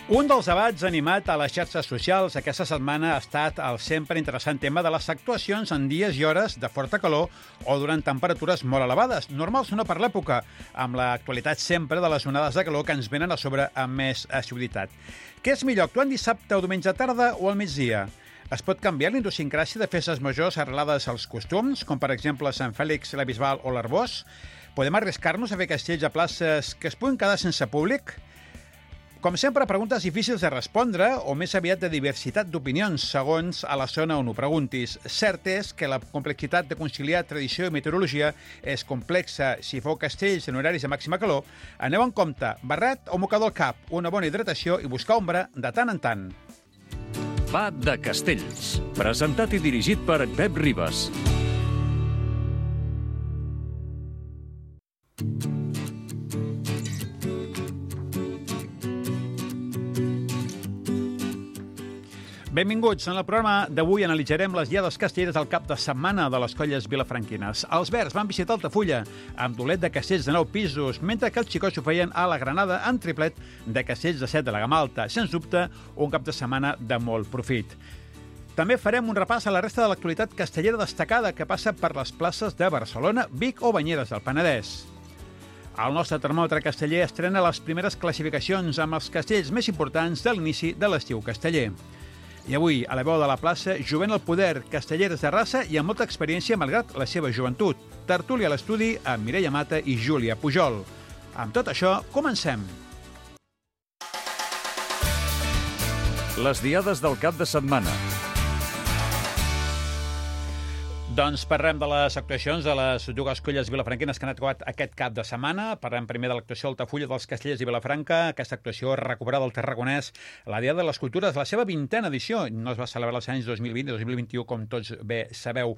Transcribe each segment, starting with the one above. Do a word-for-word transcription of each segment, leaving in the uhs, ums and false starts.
Un dels debats animat a les xarxes socials aquesta setmana ha estat el sempre interessant tema de les actuacions en dies i hores de forta calor o durant temperatures molt elevades, normals no per l'època, amb l'actualitat sempre de les onades de calor que ens venen a sobre amb més assiduïtat. Què és millor, actuar en dissabte o diumenge tarda o al migdia? Es pot canviar la idiosincràsia de festes majors arrelades als costums, com per exemple Sant Fèlix, la Bisbal o l'Arbós? Podem arriscar-nos a fer castells a places que es puguin quedar sense públic? Com sempre, preguntes difícils de respondre o més aviat de diversitat d'opinions, segons a la zona on ho preguntis. Cert és que la complexitat de conciliar tradició i meteorologia és complexa. Si feu castells en horaris de màxima calor, aneu en compte, barret o mocador al cap, una bona hidratació i buscar ombra de tant en tant. Va de Castells, presentat i dirigit per Pep Ribas. Benvinguts. En el programa d'avui analitzarem les diades castelleres del cap de setmana de les colles vilafranquines. Els verds van visitar Altafulla amb dolet de castells de nou pisos, mentre que els xicots ho feien a la Granada amb triplet de castells de set de la gamma alta. Sens dubte, un cap de setmana de molt profit. També farem un repàs a la resta de l'actualitat castellera destacada que passa per les places de Barcelona, Vic o Banyeres del Penedès. El nostre termòmetre casteller estrena les primeres classificacions amb els castells més importants de l'inici de l'estiu casteller. I avui, a la veu de la plaça, jovent al poder, castelleres de raça i amb molta experiència malgrat la seva joventut. Tertúlia a l'estudi amb Mireia Mata i Júlia Pujol. Amb tot això, comencem. Les diades del cap de setmana. Doncs parlem de les actuacions de les dues colles vilafranquines que han actuat aquest cap de setmana. Parlem primer de l'actuació Altafulla dels Castellers i Vilafranca. Aquesta actuació recuperada del Tarragonès, la Diada de les Cultures, la seva vintena edició. No es va celebrar els anys dos mil vint i dos mil vint-i-u, com tots bé sabeu.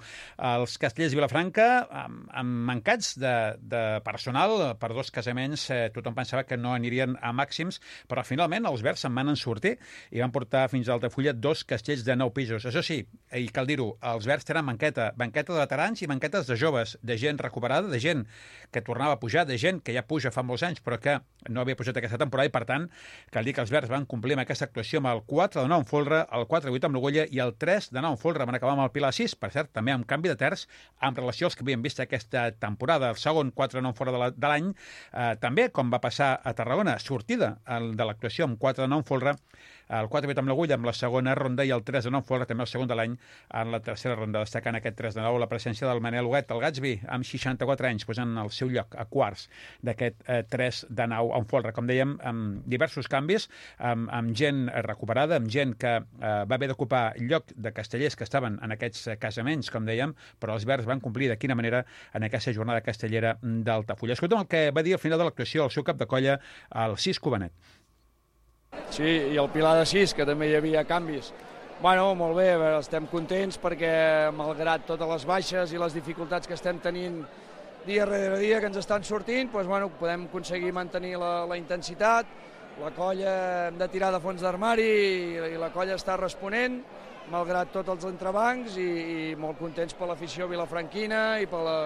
Els Castellers i Vilafranca, amb, amb mancats de, de personal, per dos casaments, eh, tothom pensava que no anirien a màxims, però finalment els verds se'n van en sortir i van portar fins a Altafulla dos castells de nou pisos. Això sí, i cal dir-ho, els verds tenen banqueta, banqueta de veterans i banquetes de joves, de gent recuperada, de gent que tornava a pujar, de gent que ja puja fa molts anys però que no havia pujat aquesta temporada i, per tant, cal dir que els verds van complir amb aquesta actuació amb el quatre de nou en folre, el quatre vuit amb l'Ogolla i el tres de nou en folre. Van acabar amb el Pilar sis, per cert, també amb canvi de terç amb relació als que havien vist aquesta temporada. El segon quatre de nou en folre de l'any, eh, també, com va passar a Tarragona, sortida de l'actuació amb quatre de nou en folre, el quatre vuit amb l'Agulla amb la segona ronda i el tres de nou folre, també el segon de l'any, en la tercera ronda, destacant aquest tres de nou la presència del Manel Huguet, el Gatsby, amb seixanta-quatre anys, posant el seu lloc a quarts d'aquest eh, tres de nou en folre. Com dèiem, amb diversos canvis, amb, amb gent recuperada, amb gent que eh, va haver d'ocupar lloc de castellers que estaven en aquests casaments, com dèiem, però els verds van complir de quina manera en aquesta jornada castellera d'Altafulla. Escolta'm el que va dir al final de l'actuació el seu cap de colla, el Cis Cubanet. Sí, i el Pilar de sis, que també hi havia canvis. Bueno, molt bé, estem contents perquè, malgrat totes les baixes i les dificultats que estem tenint dia rere dia que ens estan sortint, doncs, bueno, podem aconseguir mantenir la, la intensitat. La colla hem de tirar de fons d'armari i, i la colla està responent, malgrat tots els entrebancs, i, i molt contents per l'afició vilafranquina i per la,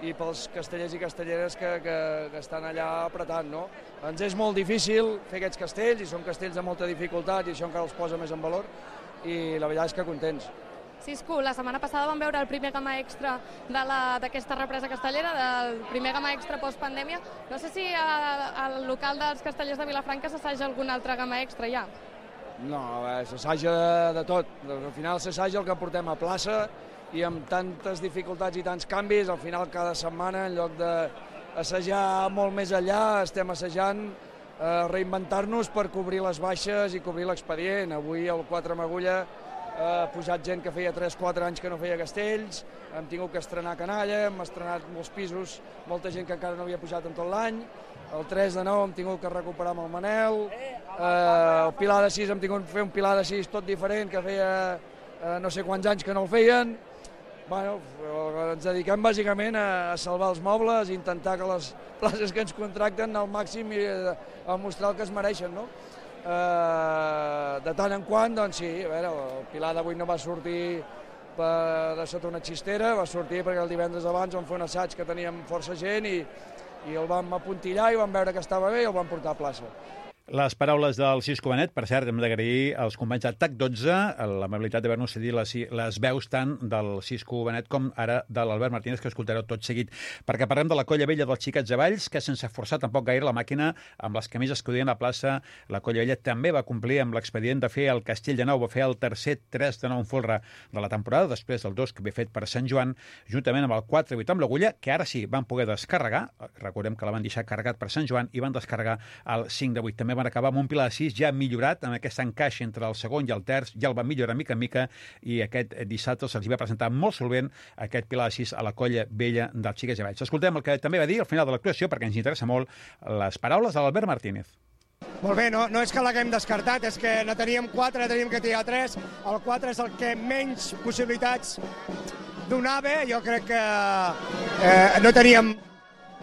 i pels castellers i castelleres que, que, que estan allà apretant, no? Ens és molt difícil fer aquests castells, i són castells de molta dificultat, i això encara els posa més en valor, i la veritat és que contents. Cisco, la setmana passada vam veure el primer gamma extra d'aquesta represa castellera, del primer gamma extra post-pandèmia. No sé si a, al local dels castellers de Vilafranca s'assaja algun altre gamma extra ja. No, s'assaja de, de tot. Al final s'assaja el que portem a plaça, i amb tantes dificultats i tants canvis, al final cada setmana, en lloc d'assajar molt més enllà, estem assajant eh, reinventar-nos per cobrir les baixes i cobrir l'expedient. Avui el quatre amb Agulla ha eh, pujat gent que feia tres quatre anys que no feia castells, hem tingut que estrenar canalla, hem estrenat molts pisos, molta gent que encara no havia pujat en tot l'any. El tres de nou hem tingut que recuperar amb el Manel, eh, el Pilar de sis hem tingut que fer un Pilar de sis tot diferent, que feia eh, no sé quants anys que no el feien. Bueno, ens dediquem bàsicament a salvar els mobles, a intentar que les places que ens contracten al màxim i a mostrar el que es mereixen, no? Eh, de tant en quant, doncs sí, a veure, el Pilar d'avui no va sortir per, de sota una xistera, va sortir perquè el divendres abans vam fer un assaig que teníem força gent i, i el vam apuntillar i vam veure que estava bé i el vam portar a plaça. Les paraules del Cisco Benet, per cert, hem d'agrair als companys de T A C dotze l'amabilitat d'haver-nos cedit les, les veus tant del Cisco Benet com ara de l'Albert Martínez, que escoltareu tot seguit, perquè parlem de la colla vella dels xiquets de Valls, que sense forçar tampoc gaire la màquina amb les camises que duien a plaça, la colla vella també va complir amb l'expedient de fer el Castell de Nou, va fer el tercer tres de nou en folre de la temporada, després del dos que havia fet per Sant Joan, juntament amb el quatre vuit amb l'Agulla, que ara sí van poder descarregar, recordem que la van deixar carregat per Sant Joan, i van descarregar el cinc de vuit. També van acabar amb un pilar de sis ja millorat, amb aquest encaix entre el segon i el terç, ja el van millorar mica en mica, i aquest dissabte se'ls va presentar molt solvent aquest pilar de sis a la colla vella dels xiquets de Valls. Escoltem el que també va dir al final de l'actuació, perquè ens interessa molt les paraules de l'Albert Martínez. Molt bé, no, no és que l'haguem descartat, és que no teníem quatre, teníem que tirar tres. El quatre és el que menys possibilitats donava. Jo crec que eh, no teníem...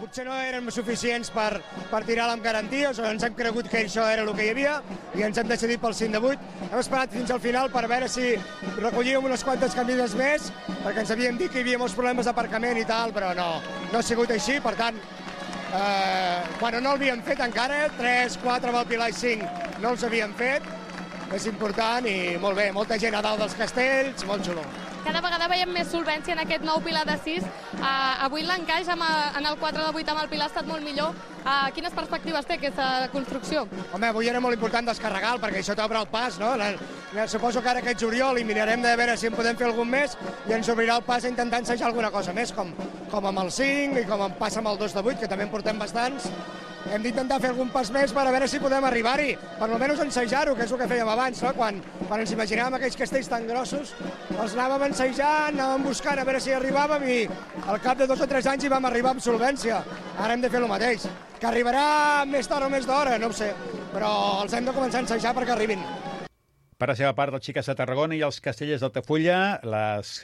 Potser no eren suficients per, per tirar-la amb garanties, o ens hem cregut que això era el que hi havia i ens hem decidit pel cinc de vuit. Hem esperat fins al final per veure si recollíem unes quantes camises més, perquè ens havíem dit que hi havia molts problemes d'aparcament i tal, però no, no ha sigut així. Per tant, eh, quan no l'havíem fet encara, tres, quatre amb el pilar i cinc no els havíem fet, és important i molt bé, molta gent a dalt dels castells, molt xulo. Cada vegada veiem més solvència en aquest nou pilar de sis. Uh, avui l'encaix en el quatre de vuit amb el pilar ha estat molt millor. Uh, quines perspectives té aquesta construcció? Home, avui era molt important descarregar-lo, perquè això t'obre el pas, no? La, la, suposo que ara aquest juliol i mirarem de veure si en podem fer algun més i ens obrirà el pas a intentar ensejar alguna cosa més, com, com amb el cinc i com em passa amb el dos de vuit, que també en portem bastants. Hem d'intentar fer algun pas més per a veure si podem arribar-hi, per almenys ensejar-ho, que és el que fèiem abans, no? Quan, quan ens imaginàvem aquells castells tan grossos, els anàvem ensejant, anàvem buscant a veure si arribàvem i al cap de dos o tres anys hi vam arribar amb solvència. Ara hem de fer el mateix. Que arribarà més tard o més d'hora, no ho sé, però els hem de començar a ensejar perquè arribin. Per la seva part, els xiques de Tarragona i els castellers d'Altafulla, les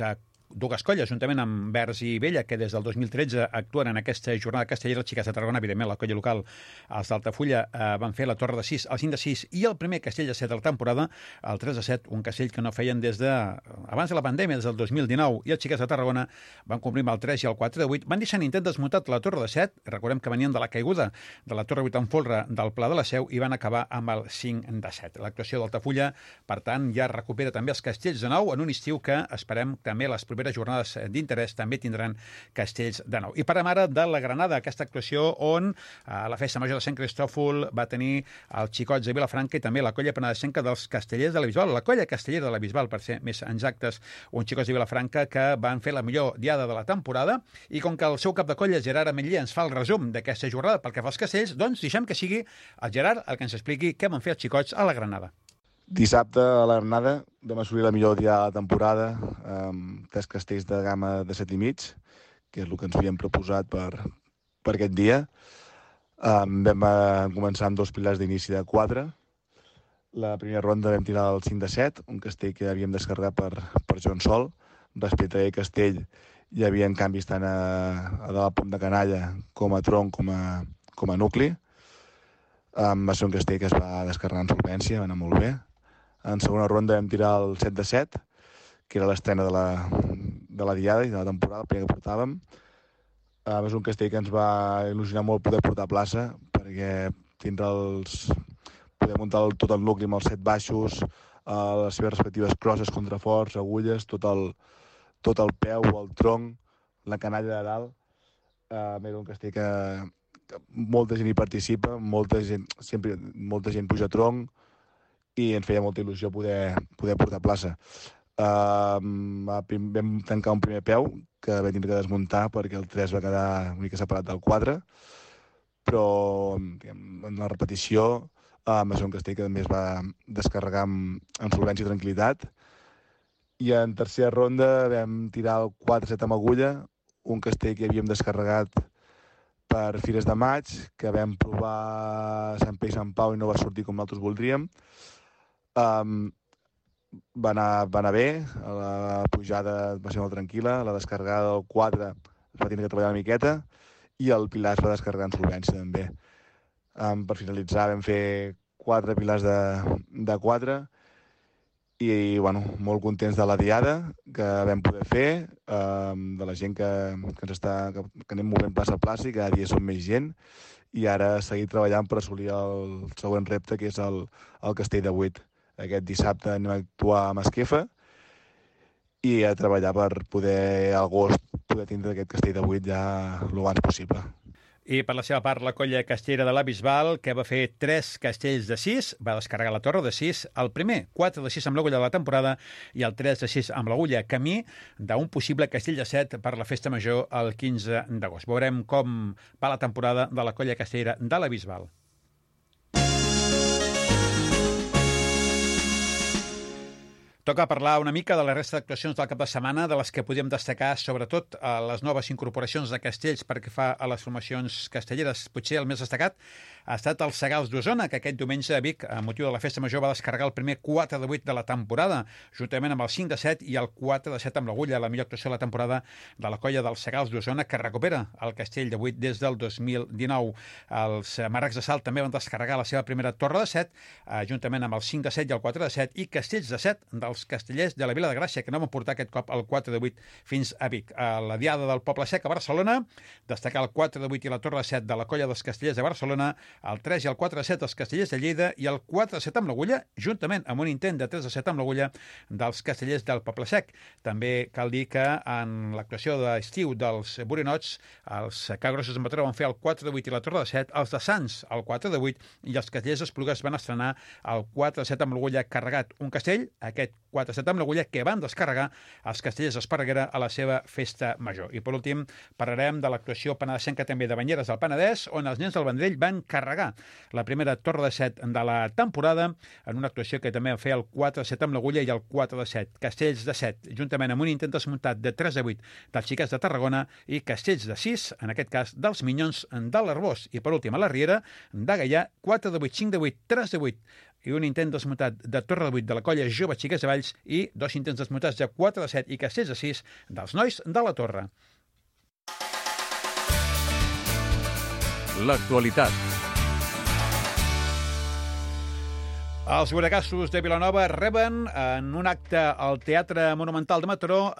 dues colles, juntament amb Vers i Vella, que des del dos mil tretze actuen en aquesta jornada castellera. Els xiques de Tarragona, evidentment, la colla local, els d'Altafulla, eh, van fer la torre de sis, el cinc de sis i el primer castell de set de la temporada, el tres de set, un castell que no feien des de abans de la pandèmia, des del dos mil dinou, i els xiques de Tarragona van complir amb el tres i el quatre de vuit. Van deixar en intent desmuntat la torre de set, recordem que venien de la caiguda de la torre vuit en folre del Pla de la Seu, i van acabar amb el cinc de set. L'actuació d'Altafulla, per tant, ja recupera també els castells de nou en un estiu que esperem també les properes jornades d'interès també tindran castells de nou. I parlem ara de la Granada, aquesta actuació on a la festa major de Sant Cristòfol va tenir els xicots de Vilafranca i també la colla penedesenca dels castellers de la Bisbal, la colla castellera de la Bisbal, per ser més exactes, uns xicots de Vilafranca que van fer la millor diada de la temporada, i com que el seu cap de colla, Gerard Ametller, ens fa el resum d'aquesta jornada pel que fa als castells, doncs deixem que sigui el Gerard el que ens expliqui què van fer els xicots a la Granada. Dissabte a la Granada vam assolir la millor dia de la temporada amb tres castells de gamma de set i mig, que és el que ens havíem proposat per, per aquest dia. Um, vam uh, començar amb dos pilars d'inici de quatre. La primera ronda vam tirar el cinc de set, un castell que havíem descarregat per, per Joan Sol. Respecte a aquell castell hi havia canvis tant a, a de la pont de canalla com a tronc com a, com a nucli. Um, va ser un castell que es va descarregar en solvència, va anar molt bé. En segona ronda vam tirar el set de set, que era l'estrena de, la, de la diada i de la temporada, el primer que portàvem. Uh, és un castell que ens va il·lusionar molt poder portar a plaça, perquè tindre els... poder muntar el, tot el nucli amb els set baixos, uh, les seves respectives crosses, contraforts, agulles, tot el, tot el peu, el tronc, la canalla de dalt. Uh, era un castell que, que molta gent hi participa, molta gent, sempre, molta gent puja a tronc, i ens feia molta il·lusió poder, poder portar a plaça. Uh, vam tancar un primer peu que vam tenir que desmuntar perquè el tres va quedar una mica separat del quatre, però en la repetició uh, va ser un castell que també es va descarregar amb, amb solvència i tranquil·litat. I en tercera ronda vam tirar el quatre set amb agulla, un castell que havíem descarregat per Fires de Maig, que vam provar Sant Pere i Sant Pau i no va sortir com nosaltres voldríem. Um, va, anar, va anar bé, la pujada va ser molt tranquil·la, la descarregada del quatre es va tenir que treballar una miqueta i el pilar es va descarregar en solvència també. Um, per finalitzar vam fer quatre pilars de, de quatre i bueno, molt contents de la diada que vam poder fer, um, de la gent que, que, ens està, que, que anem movent plaça a plaça i cada dia som més gent i ara seguir treballant per assolir el següent repte, que és el, el Castell de vuit. Aquest dissabte anem a actuar a Masquefa i a treballar per poder, a agost, poder tindre aquest Castell de vuit ja el abans possible. I per la seva part, la colla castellera de la Bisbal, que va fer tres castells de sis, va descarregar la torre de sis, el primer, quatre de sis amb l'agulla de la temporada i el tres de sis amb l'agulla, camí d'un possible castell de set per la festa major el quinze d'agost. Veurem com va la temporada de la colla castellera de la Bisbal. Toca parlar una mica de la resta d'actuacions del cap de setmana, de les que podíem destacar, sobretot a les noves incorporacions de castells perquè fa a les formacions castelleres. Potser el més destacat ha estat el Segals d'Osona, que aquest diumenge a Vic, a motiu de la festa major, va descarregar el primer quatre de vuit de la temporada, juntament amb el cinc de set i el quatre de set amb l'agulla, la millor actuació de la temporada de la colla dels Segals d'Osona, que recupera el castell de vuit des del dos mil dinou. Els Marracs de Salt també van descarregar la seva primera torre de set, juntament amb el cinc de set i el quatre de set, i castells de set dels castellers de la Vila de Gràcia, que no van portar aquest cop el quatre de vuit fins a Vic. A la Diada del Poble Sec a Barcelona, destacar el quatre de vuit i la torre de set de la colla dels castellers de Barcelona, el tres i el quatre de set dels castellers de Lleida i el quatre de set amb l'agulla, juntament amb un intent de tres de set amb l'agulla dels castellers del Poble Sec. També cal dir que en l'actuació d'estiu dels Borinots, els Cagrossos de Mataró van fer el quatre de vuit i la torre de set, els de Sants el quatre de vuit i els castellers d'Esplugues van estrenar el quatre de set amb l'agulla carregat. Un castell, aquest quatre de set amb l'agulla, que van descarregar els castellers d'Esparreguera a la seva festa major. I per últim, parlarem de l'actuació penedesenca també de Banyeres del Penedès, on els nens del Vendrell van carregar la primera torre de set de la temporada en una actuació que també va fer el quatre de set amb l'agulla i el quatre de set. Castells de set, juntament amb un intent desmuntat de tres de vuit dels Xiquets de Tarragona i castells de sis, en aquest cas dels Minyons de l'Arbós. I per últim, a la Riera de Gaià, quatre de vuit, cinc de vuit, tres de vuit i un intent desmuntat de torre de vuit de la colla Jove Xiquets de Valls i dos intents desmuntats de quatre de set i castells de sis dels nois de la Torre. L'actualitat. Els Boregassos de Vilanova reben en un acte al Teatre Monumental de Mataró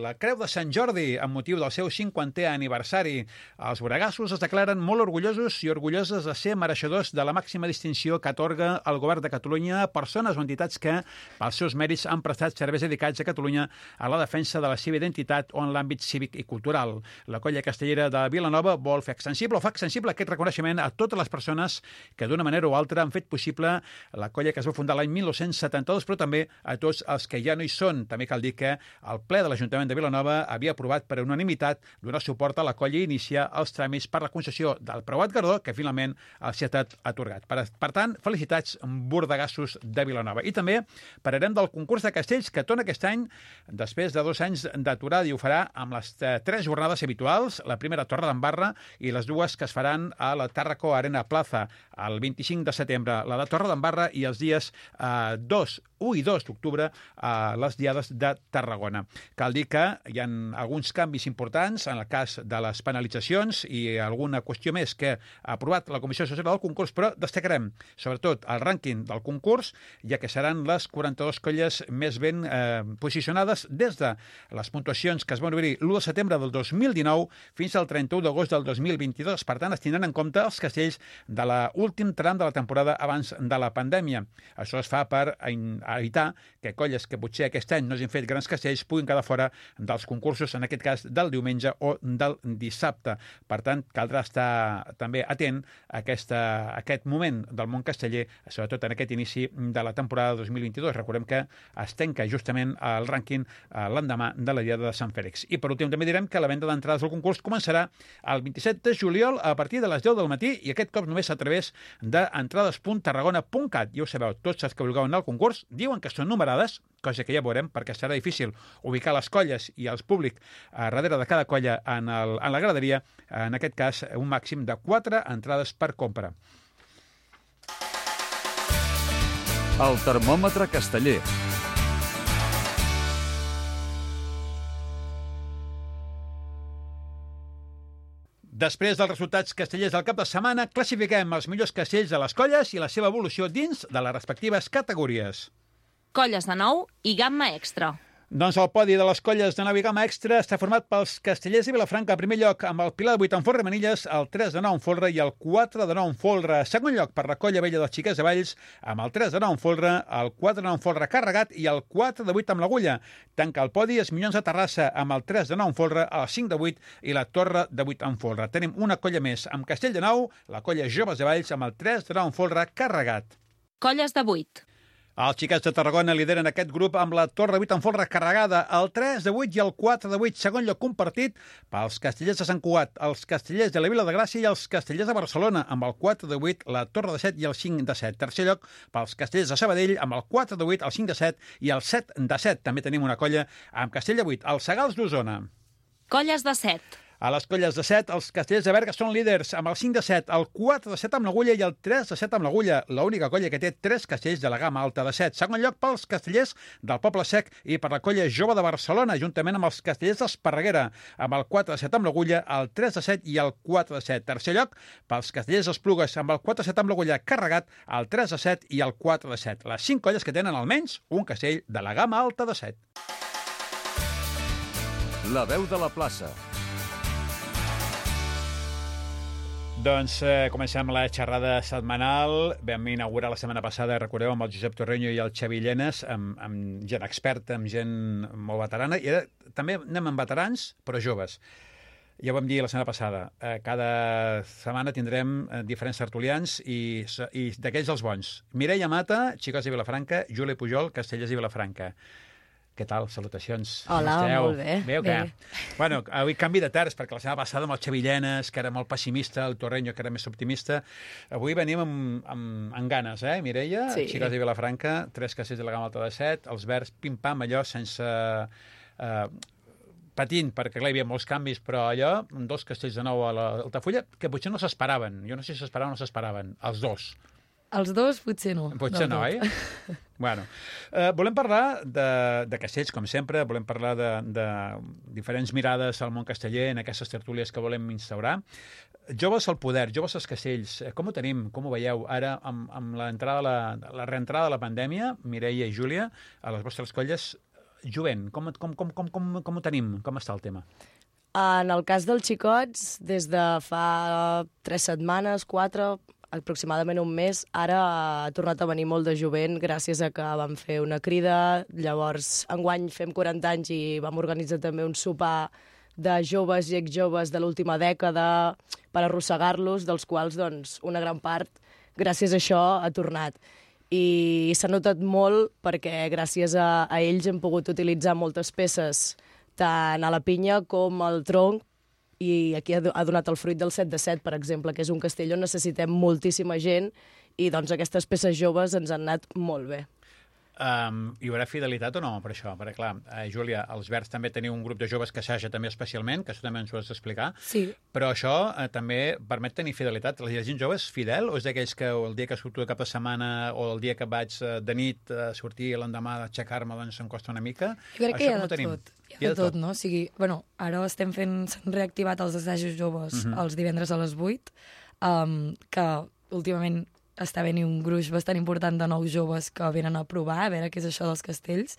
la Creu de Sant Jordi amb motiu del seu cinquantè aniversari. Els Boregassos es declaren molt orgullosos i orgulloses de ser mereixedors de la màxima distinció que atorga el Govern de Catalunya a persones o entitats que, pels seus mèrits, han prestat serveis dedicats a Catalunya a la defensa de la seva identitat o en l'àmbit cívic i cultural. La colla castellera de Vilanova vol fer extensible o fa extensible aquest reconeixement a totes les persones que d'una manera o altra han fet possible la colla que es va fundar l'any mil nou-cents setanta-dos, però també a tots els que ja no hi són. També cal dir que el ple de l'Ajuntament de Vilanova havia aprovat per unanimitat donar suport a la colla i iniciar els tràmits per la concessió del preuat guardó, que finalment els ha estat atorgat. Per, per tant, felicitats, Bordegassos de Vilanova. I també parlarem del concurs de castells que torna aquest any, després de dos anys d'aturada, i ho farà amb les tres jornades habituals, la primera a Torre d'Embarra i les dues que es faran a la Tàrraco Arena Plaza el vint-i-cinc de setembre, la de Torre d'Embarra, i els dies eh, dos, u i dos d'octubre a les Diades de Tarragona. Cal dir que hi ha alguns canvis importants en el cas de les penalitzacions i alguna qüestió més que ha aprovat la Comissió Social del concurs, però destacarem sobretot el rànquing del concurs, ja que seran les quaranta-dues colles més ben eh, posicionades des de les puntuacions que es van obrir l'u de setembre del dos mil dinou fins al trenta-u d'agost del dos mil vint-i-dos. Per tant, es tindran en compte els castells de l'últim tram de la temporada abans de la pandèmia. Això es fa per evitar que colles que potser aquest any no hagin fet grans castells puguin quedar fora dels concursos, en aquest cas del diumenge o del dissabte. Per tant, caldrà estar també atent a, aquesta, a aquest moment del món casteller, sobretot en aquest inici de la temporada dos mil vint-i-dos. Recordem que es tanca justament el rànquing l'endemà de la Diada de Sant Fèlix. I per últim també direm que la venda d'entrades al concurs començarà el vint-i-set de juliol a partir de les deu del matí i aquest cop només a través d'entrades punt tarragona punt cat. Ja ho sabeu, tots els que vulgueu anar al concurs diuen que són numerades, cosa que ja veurem perquè serà difícil ubicar les colles i els públic a darrere de cada colla en, el, en la graderia, en aquest cas un màxim de quatre entrades per compra. El termòmetre casteller. Després dels resultats castellers del cap de setmana, classifiquem els millors castells de les colles i la seva evolució dins de les respectives categories. Colles de nou i gamma extra. Doncs el podi de les colles de nova i gamma extra està format pels Castellers i Vilafranca, a primer lloc, amb el Pilar de vuit en folre Manilles, el tres de nou en folre i el quatre de nou en folre. Segon lloc per la colla vella dels Xiquets de Valls, amb el tres de nou en folre, el quatre de nou en folre Carregat i el quatre de vuit amb l'Agulla. Tanca el podi els Minyons de Terrassa, amb el tres de nou en folre, el cinc de vuit i la Torre de vuit en folre. Tenim una colla més, amb Castell de Nou, la colla Joves de Valls, amb el tres de nou en folre Carregat. Colles de vuit. Els Xiquets de Tarragona lideren aquest grup amb la Torre de vuit en folre carregada, el tres de vuit i el quatre de vuit, segon lloc compartit pels Castellers de Sant Cugat, els Castellers de la Vila de Gràcia i els Castellers de Barcelona, amb el quatre de vuit, la Torre de set i el cinc de set. Tercer lloc pels Castellers de Sabadell, amb el quatre de vuit, el cinc de set i el set de set. També tenim una colla amb Castell de vuit, els Segals d'Osona. Colles de set. A les colles de set, els Castellers de Berga són líders, amb el cinc de set, el quatre de set amb l'Agulla i el tres de set amb l'Agulla, l'única colla que té tres castells de la gamma alta de set. Segon lloc pels Castellers del Poble Sec i per la colla Jove de Barcelona, juntament amb els Castellers d'Esparreguera, amb el quatre de set amb l'Agulla, el tres de set i el quatre de set. Tercer lloc pels Castellers d'Esplugues, amb el quatre de set amb l'Agulla carregat, el tres de set i el quatre de set. Les cinc colles que tenen almenys un castell de la gamma alta de set. La veu de la plaça. Doncs eh, comencem la xerrada setmanal. Vam inaugurar la setmana passada, recordeu, amb el Josep Torreño i el Xavi Llenes, amb, amb gent experta, amb gent molt veterana, i ara també anem amb veterans, però joves. Ja ho vam dir la setmana passada, eh, cada setmana tindrem eh, diferents tertulians i, i d'aquells els bons. Mireia Mata, Xicots de Vilafranca, Júlia Pujol, Castellers i Vilafranca. Què tal? Salutacions. Hola, molt bé. Bé o bé. què? Bueno, avui canvi de terç, perquè la setmana passada amb el Xavi Llenes, que era molt pessimista, el Torreño, que era més optimista. Avui venim amb, amb, amb ganes, eh, Mireia? Sí. Xicots de Vilafranca, tres castells de la gamma alta de set, els verds, pim-pam, allò, sense... Eh, patint, perquè clar, hi havia molts canvis, però allò, dos castells de nou a l'Altafulla, que potser no s'esperaven. Jo no sé si s'esperaven o no s'esperaven. Els dos. Els dos potser no. Potser no, oi? Bueno, eh, volem parlar de, de castells, com sempre, volem parlar de, de diferents mirades al món casteller en aquestes tertúlies que volem instaurar. Joves al poder, joves als castells, com ho tenim, com ho veieu? Ara, amb, amb l'entrada, la, la reentrada de la pandèmia, Mireia i Júlia, a les vostres colles, jovent, com, com, com, com, com, com ho tenim? Com està el tema? En el cas dels xicots, des de fa tres setmanes, quatre, aproximadament un mes, ara ha tornat a venir molt de jovent gràcies a que vam fer una crida. Llavors, enguany fem quaranta anys i vam organitzar també un sopar de joves i exjoves de l'última dècada per arrossegar-los, dels quals doncs, una gran part, gràcies a això, ha tornat. I s'ha notat molt perquè gràcies a, a ells hem pogut utilitzar moltes peces tant a la pinya com al tronc, i aquí ha donat el fruit del set de set, per exemple, que és un castell on necessitem moltíssima gent i doncs aquestes peces joves ens han anat molt bé. Um, hi haurà fidelitat o no per això? Perquè, clar, eh, Júlia, els Verds també teniu un grup de joves que assaja també especialment, que això també ens ho has d'explicar, sí. Però això eh, també permet tenir fidelitat. La gent jove és fidel o és d'aquells que el dia que surto de cap de setmana o el dia que vaig eh, de nit a sortir l'endemà d'aixecar-me doncs em costa una mica? Jo crec això que hi ha de de tot. Hi ha de tot, no? O sigui, bueno, ara estem fent, s'han reactivat els assajos joves uh -huh. els divendres a les vuit, um, que últimament està venint un gruix bastant important de nous joves que venen a provar, a veure què és això dels castells.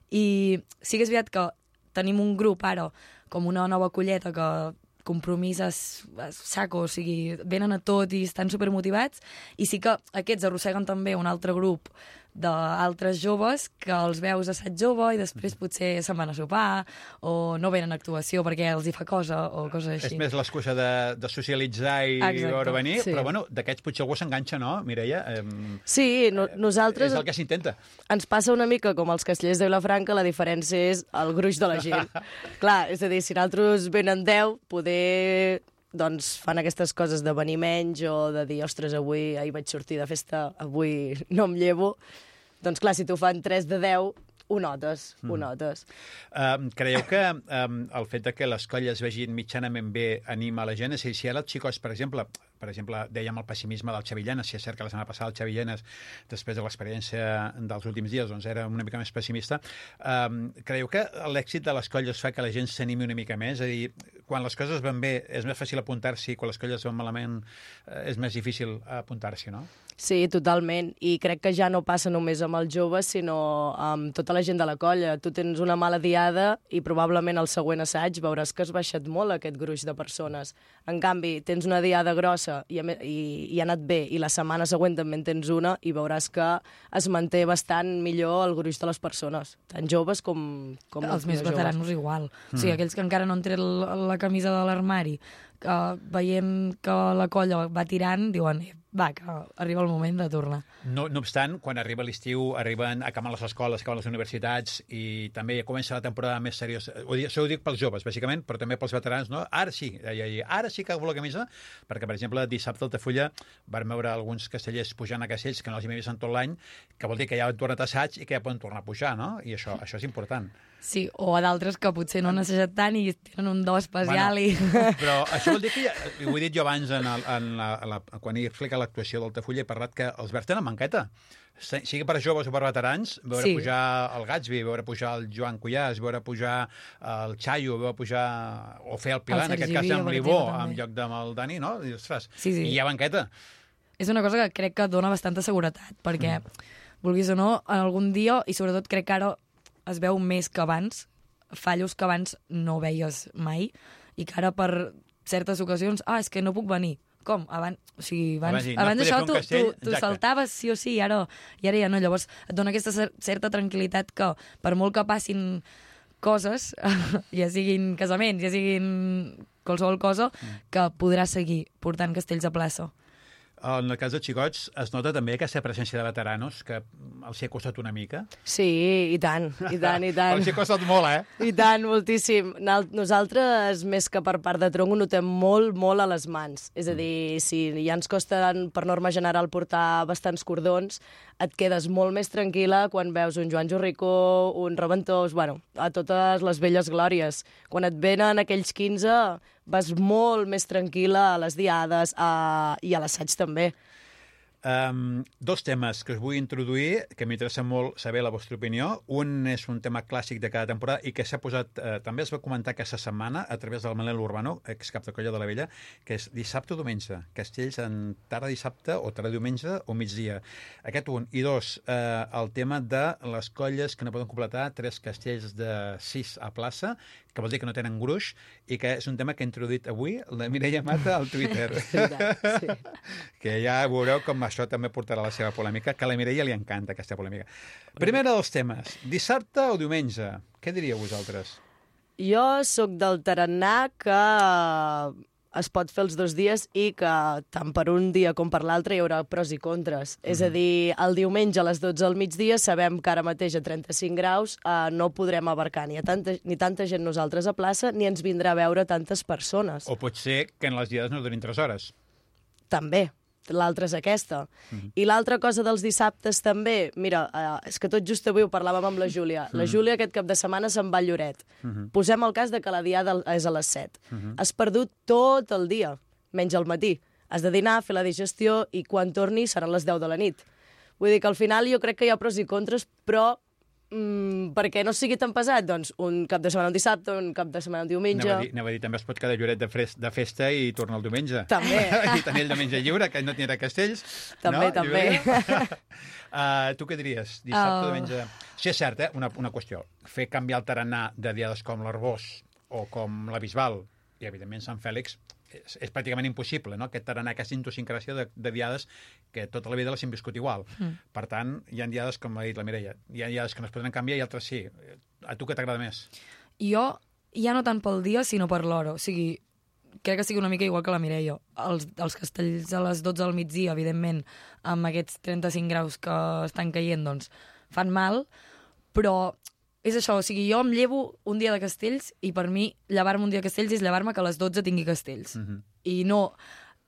I sí que és veritat que tenim un grup ara, com una nova colleta, que compromís a saco, o sigui, venen a tot i estan supermotivats, i sí que aquests arrosseguen també un altre grup d'altres joves que els veus a assaig jove i després potser se'n van a sopar o no venen a actuació perquè els hi fa cosa o coses així. És més l'excusa de, de socialitzar i Exacte, veure venir, sí. Però bueno, d'aquests potser algú s'enganxa, no, Mireia? Eh, sí, no, nosaltres... És el que s'intenta. Ens passa una mica com els castellers de Vilafranca, la diferència és el gruix de la gent. Clar, és a dir, si nosaltres venen deu, poder... doncs fan aquestes coses de venir menys o de dir, ostres, avui ahir vaig sortir de festa, avui no em llevo. Doncs clar, si t'ho fan tres de deu, ho notes, mm. ho notes. Um, creieu que um, el fet de que les colles vegin mitjanament bé anima la gent? És a dir, si ara els xicots, per exemple, per exemple, dèiem el pessimisme del Xavi Llenes, si és cert que la setmana passada el Xavi Llenes, després de l'experiència dels últims dies, doncs era una mica més pessimista, um, creieu que l'èxit de les colles fa que la gent s'animi una mica més? És a dir, quan les coses van bé és més fàcil apuntar-s'hi, quan les colles van malament eh, és més difícil apuntar-s'hi, no? Sí, totalment. I crec que ja no passa només amb els joves, sinó amb tota la gent de la colla. Tu tens una mala diada i probablement al següent assaig veuràs que has baixat molt aquest gruix de persones. En canvi, tens una diada grossa i, i, i ha anat bé, i la setmana següent també en tens una, i veuràs que es manté bastant millor el gruix de les persones, tant joves com, com els més veteranos igual. Mm. O sigui, aquells que encara no han tret la, la camisa de l'armari, que veiem que la colla va tirant, diuen, va, que arriba el moment de tornar. No, no obstant, quan arriba l'estiu, arriben, acaben les escoles, acaben les universitats i també comença la temporada més seriosa. Això ho dic pels joves, bàsicament, però també pels veterans, no? Ara sí, ara sí que agafo la camisa, perquè, per exemple, dissabte a Altafulla vam veure alguns castellers pujant a castells que no els hi havia vist en tot l'any, que vol dir que ja han tornat a assaig i que ja poden tornar a pujar, no? I això, això és important. Sí, o a d'altres que potser no han assajat tant i tenen un do especial. Bueno, i... Però això vol dir que, ja, ho he dit jo abans, en el, en la, en la, quan he explicat l'actuació d'Altafulla, he parlat que els verds tenen manqueta. Sigui per joves o per veterans, veure sí. pujar el Gatsby, veure pujar el Joan Cuyàs, veure pujar el Chayo, veure pujar... o fer el Pilar, en aquest cas amb l'Ibó, en lloc amb el Dani, no? I, ostres, sí, sí. I hi ha banqueta. És una cosa que crec que dona bastanta seguretat, perquè, mm. vulguis o no, algun dia, i sobretot crec que ara es veu més que abans, fallos que abans no veies mai, i que ara per certes ocasions, ah, és que no puc venir. Com? Abans, o sigui, abans, abans, no abans d'això tu, tu, tu saltaves sí o sí, i ara, i ara ja no. Llavors et dona aquesta certa tranquil·litat que per molt que passin coses, ja siguin casaments, ja siguin qualsevol cosa, que podràs seguir portant castells a plaça. En el cas dels xicots es nota també aquesta presència de veteranos que els hi ha costat una mica? Sí, i tant, i tant, i tant. Els hi ha costat molt, eh? I tant, moltíssim. Nosaltres, més que per part de tronc, ho notem molt, molt a les mans. És a dir, si ja ens costa, per norma general, portar bastants cordons, et quedes molt més tranquil·la quan veus un Joan Jorricó, un Reventós, bueno, a totes les velles glòries. Quan et venen aquells quinze, vas molt més tranquil·la a les diades a... i a l'assaig també. Um, dos temes que us vull introduir, que m'interessa molt saber la vostra opinió. Un és un tema clàssic de cada temporada i que s'ha posat, eh, també es va comentar aquesta setmana a través del Manel Urbano, excap de Colla de la Vella, que és dissabte o diumenge. Castells en tarda dissabte o tarda diumenge o migdia. Aquest un. I dos, eh, el tema de les colles que no poden completar tres castells de sis a plaça, que vol dir que no tenen gruix, i que és un tema que ha introduït avui la Mireia Mata al Twitter. Sí. Que ja veureu com això també portarà la seva polèmica, que a la Mireia li encanta aquesta polèmica. Primer dels temes, dissabte o diumenge? Què diríeu vosaltres? Jo sóc del tarannà que es pot fer els dos dies i que tant per un dia com per l'altre hi haurà pros i contres. Mm. És a dir, el diumenge a les dotze al migdia sabem que ara mateix a trenta-cinc graus eh, no podrem abarcar ni, a tanta, ni tanta gent nosaltres a plaça ni ens vindrà a veure tantes persones. O pot ser que en les diades no durin tres hores. També. L'altra és aquesta. Mm-hmm. I l'altra cosa dels dissabtes també, mira, eh, és que tot just avui ho parlàvem amb la Júlia. Mm-hmm. La Júlia aquest cap de setmana se'n va a Lloret. Mm-hmm. Posem el cas de que la diada és a les set. Mm-hmm. Has perdut tot el dia, menys al matí. Has de dinar, fer la digestió i quan torni seran les deu de la nit. Vull dir que al final jo crec que hi ha pros i contres, però mm, perquè no sigui tan pesat, doncs un cap de setmana un dissabte, un cap de setmana un diumenge... Anava a dir, anava a dir també es pot quedar Lloret de, fres, de festa i tornar el diumenge. També. I tenir el diumenge lliure, que no tindrà castells. També, no? també. uh, tu què diries? Dissabte, uh... diumenge... Sí, és cert, eh? Una, una qüestió. Fer canviar el tarannà de diades com l'Arbós o com la Bisbal i, evidentment, Sant Fèlix és, és pràcticament impossible, no? Aquest tarannà, aquesta idiosincràsia de, de diades que tota la vida les hem viscut igual. Mm. Per tant, hi ha diades, com ha dit la Mireia, hi ha diades que no es poden canviar i altres sí. A tu què t'agrada més? Jo, ja no tant pel dia, sinó per l'hora. O sigui, crec que sigui una mica igual que la Mireia. Els, els castells a les dotze al migdia, evidentment, amb aquests trenta-cinc graus que estan caient, doncs, fan mal, però és això, o sigui, jo em llevo un dia de castells i per mi llevar-me un dia de castells és llevar-me que a les dotze tingui castells. Mm-hmm. I no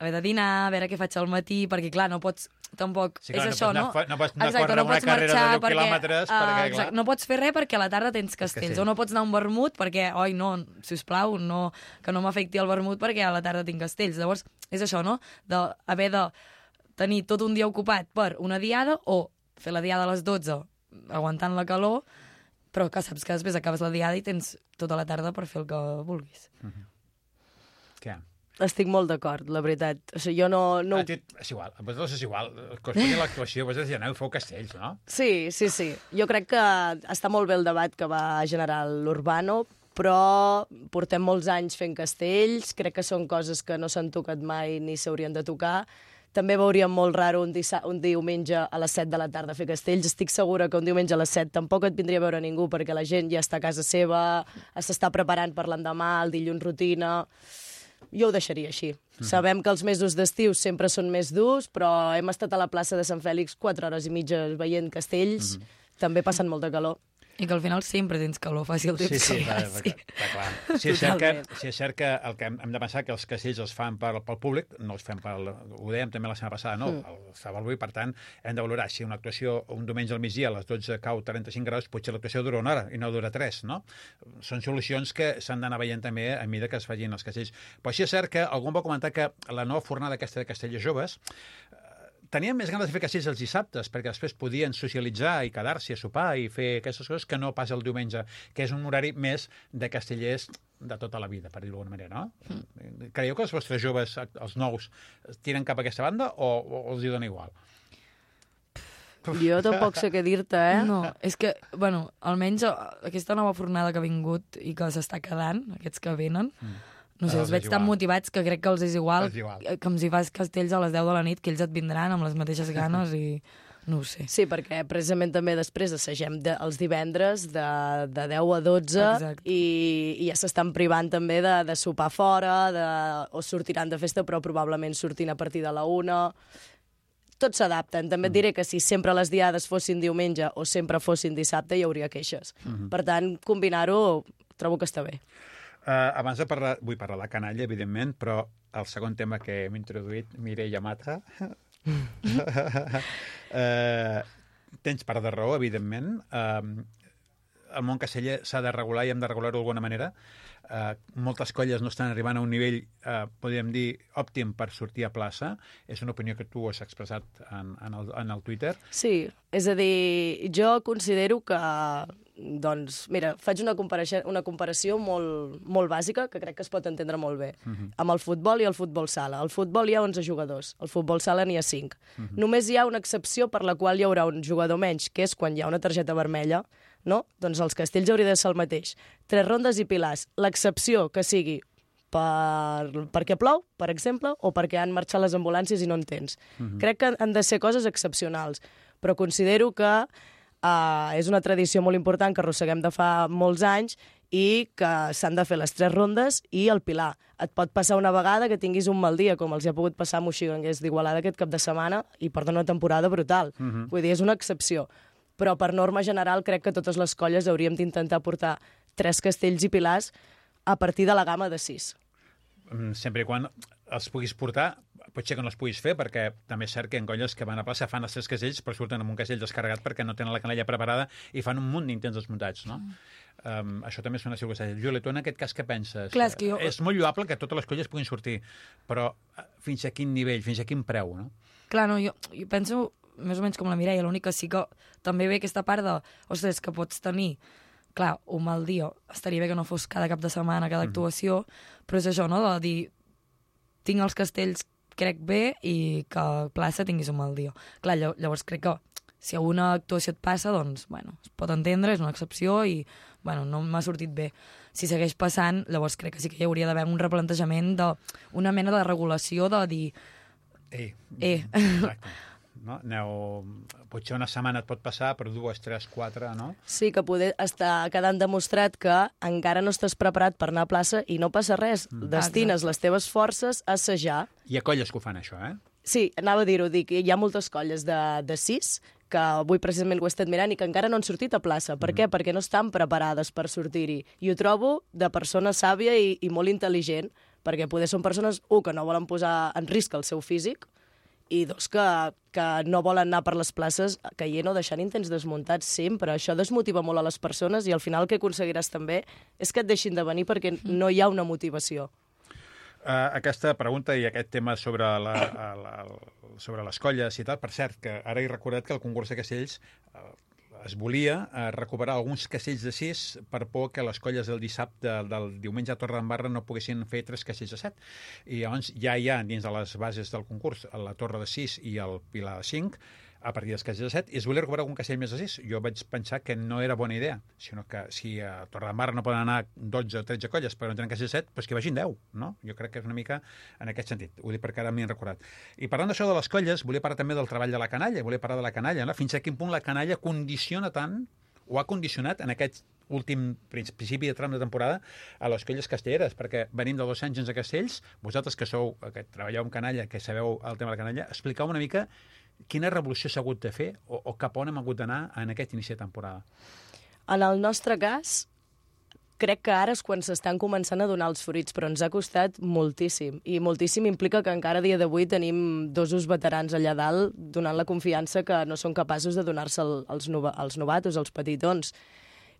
haver de dinar, a veure què faig al matí, perquè, clar, no pots tampoc... Sí, clar, és això, no? no? No pots anar exacte, a córrer no una pots carrera marxar de deu perquè, quilòmetres, uh, perquè, clar... Exacte, no pots fer res perquè a la tarda tens castells, castells. O no pots anar a un vermut perquè, oi, no, sisplau, no, que no m'afecti el vermut perquè a la tarda tinc castells. Llavors, és això, no? D'haver de tenir tot un dia ocupat per una diada o fer la diada a les dotze aguantant la calor, però que saps que després acabes la diada i tens tota la tarda per fer el que vulguis. Uh-huh. Què? Estic molt d'acord, la veritat. O sigui, jo no... no... Ah, tu, és igual, a vosaltres és igual. Que us pugui l'actuació, vosaltres ja aneu, feu castells, no? Sí, sí, sí. Jo crec que està molt bé el debat que va generar l'Urbano, però portem molts anys fent castells, crec que són coses que no s'han tocat mai ni s'haurien de tocar. També veuríem molt raro un, un diumenge a les set de la tarda fer castells. Estic segura que un diumenge a les set tampoc et vindria a veure ningú, perquè la gent ja està a casa seva, s'està preparant per l'endemà, el dilluns rutina... Jo ho deixaria així. Mm. Sabem que els mesos d'estiu sempre són més durs, però hem estat a la plaça de Sant Fèlix quatre hores i mitja veient castells, mm. també passen molta calor. I que al final sempre tens calor, faci el temps sí, sí, que va, va, va, clar. Si és, cert que, si és cert que el que hem, hem de pensar que els castells els fan per, pel públic, no els fem pel... Ho dèiem també la setmana passada, no? Mm. El estava avui, per tant, hem de valorar si una actuació un diumenge al migdia a les dotze cau trenta-cinc graus, potser l'actuació dura una hora i no dura tres, no? Són solucions que s'han d'anar veient també a mesura que es facin els castells. Però sí és cert que algú va comentar que la nova fornada aquesta de castells joves tenien més ganes de fer castells els dissabtes, perquè després podien socialitzar i quedar-s'hi a sopar i fer aquestes coses que no pas el diumenge, que és un horari més de castellers de tota la vida, per dir-ho d'alguna manera, no? Mm. Creieu que els vostres joves, els nous, tiren cap a aquesta banda o, o els hi dona igual? Jo tampoc sé què dir-te, eh? No, és que, bueno, almenys aquesta nova fornada que ha vingut i que s'està quedant, aquests que venen, mm. no sé, els veig tan motivats que crec que els és igual, és igual. Que em si fas castells a les deu de la nit, que ells et vindran amb les mateixes ganes i no ho sé. Sí, perquè precisament també després assagem de, els divendres de, de deu a dotze i, i ja s'estan privant també de, de sopar fora, de, o sortiran de festa, però probablement sortint a partir de la una. Tots s'adapten. També et diré que si sempre les diades fossin diumenge o sempre fossin dissabte hi hauria queixes. Mm-hmm. Per tant, combinar-ho trobo que està bé. Uh, abans de parlar, vull parlar de canalla, evidentment, però el segon tema que hem introduït, Mireia Mata, uh, tens part de raó, evidentment. Uh, el món casteller s'ha de regular i hem de regular-ho d'alguna manera. Uh, moltes colles no estan arribant a un nivell, uh, podríem dir, òptim per sortir a plaça. És una opinió que tu has expressat en, en, el, en el Twitter. Sí, és a dir, jo considero que... Doncs, mira, faig una comparació, una comparació molt, molt bàsica que crec que es pot entendre molt bé. Uh-huh. Amb el futbol i el futbol sala. Al futbol hi ha onze jugadors, al futbol sala n'hi ha cinc. Uh-huh. Només hi ha una excepció per la qual hi haurà un jugador menys, que és quan hi ha una targeta vermella, no? Doncs els castells hauria de ser el mateix. Tres rondes i pilars. L'excepció que sigui per, perquè plou, per exemple, o perquè han marxat les ambulàncies i no en tens. Uh-huh. Crec que han de ser coses excepcionals, però considero que Uh, és una tradició molt important que arrosseguem de fa molts anys i que s'han de fer les tres rondes i el pilar. Et pot passar una vegada que tinguis un mal dia, com els hi ha pogut passar a Moixigranguers d'Igualada aquest cap de setmana i porten una temporada brutal. Uh-huh. Vull dir, és una excepció. Però per norma general crec que totes les colles hauríem d'intentar portar tres castells i pilars a partir de la gamma de sis. Sempre i quan els puguis portar, potser que no els puguis fer, perquè també és cert que en colles que van a plaça fan els tres castells, però surten amb un castell descarregat perquè no tenen la canalla preparada i fan un munt d'intents desmuntats, no? Mm. Um, això també és una circumstància. Júlia, tu en aquest cas què penses? Clar, és, que jo... és molt lloable que totes les colles puguin sortir, però fins a quin nivell, fins a quin preu, no? Clar, no, jo, jo penso més o menys com la Mireia, l'únic que sí que també ve aquesta part de, ostres, que pots tenir clar, un mal dia, estaria bé que no fos cada cap de setmana, cada actuació, mm. però és això, no?, de dir tinc els castells crec bé i que a plaça tinguis un mal dia. Clar, llavors crec que si alguna actuació et passa, doncs, bueno, es pot entendre, és una excepció i, bueno, no m'ha sortit bé. Si segueix passant, llavors crec que sí que hi hauria d'haver un replantejament d'una mena de regulació de dir... Ei, eh. Exacte. No? Aneu... Potser una setmana et pot passar, però dues, tres, quatre, no? Sí, que poder està quedant demostrat que encara no estàs preparat per anar a plaça i no passa res. Mm. Destines les teves forces a assajar. Hi ha colles que ho fan, això, eh? Sí, anava a dir-ho, dic, hi ha moltes colles de, de sis que avui precisament ho he estat mirant i que encara no han sortit a plaça. Per mm. què? Perquè no estan preparades per sortir-hi. I ho trobo de persona sàvia i, i molt intel·ligent, perquè poder són persones, un, que no volen posar en risc el seu físic, i dos, que, que no volen anar per les places caient o deixant intents desmuntats sempre. Això desmotiva molt a les persones i al final el que aconseguiràs també és que et deixin de venir perquè no hi ha una motivació. Uh, aquesta pregunta i aquest tema sobre, la, la, la, sobre les colles i tal, per cert, que ara he recordat que el concurs de castells, uh, es volia eh, recuperar alguns castells de sis per por que les colles del dissabte, del diumenge a Torredembarra no poguessin fer tres castells de set. I llavors ja hi ha dins de les bases del concurs la torre de sis i el pilar de cinc, a partir dels castells de set, i es volia recuperar algun castell més de sis. Jo vaig pensar que no era bona idea, sinó que si a Torredembarra no poden anar dotze o tretze colles però no tenen castells de set, doncs que vagin deu, no? Jo crec que és una mica en aquest sentit. Ho dic perquè ara m'hi he recordat. I parlant d'això de les colles, volia parlar també del treball de la canalla, volia parlar de la canalla, no? Fins a quin punt la canalla condiciona tant, o ha condicionat en aquest últim principi de tram de temporada a les colles castelleres, perquè venim de dos anys sense castells, vosaltres que sou, que treballeu amb canalla, que sabeu el tema de la canalla, explicau una mica quina revolució s'ha hagut de fer o, o cap on hem hagut d'anar en aquest inici de temporada. En el nostre cas, crec que ara és quan s'estan començant a donar els fruits, però ens ha costat moltíssim. I moltíssim implica que encara a dia d'avui tenim dosos veterans allà dalt donant la confiança que no són capaços de donar-se als, nova, als novatos, als petitons.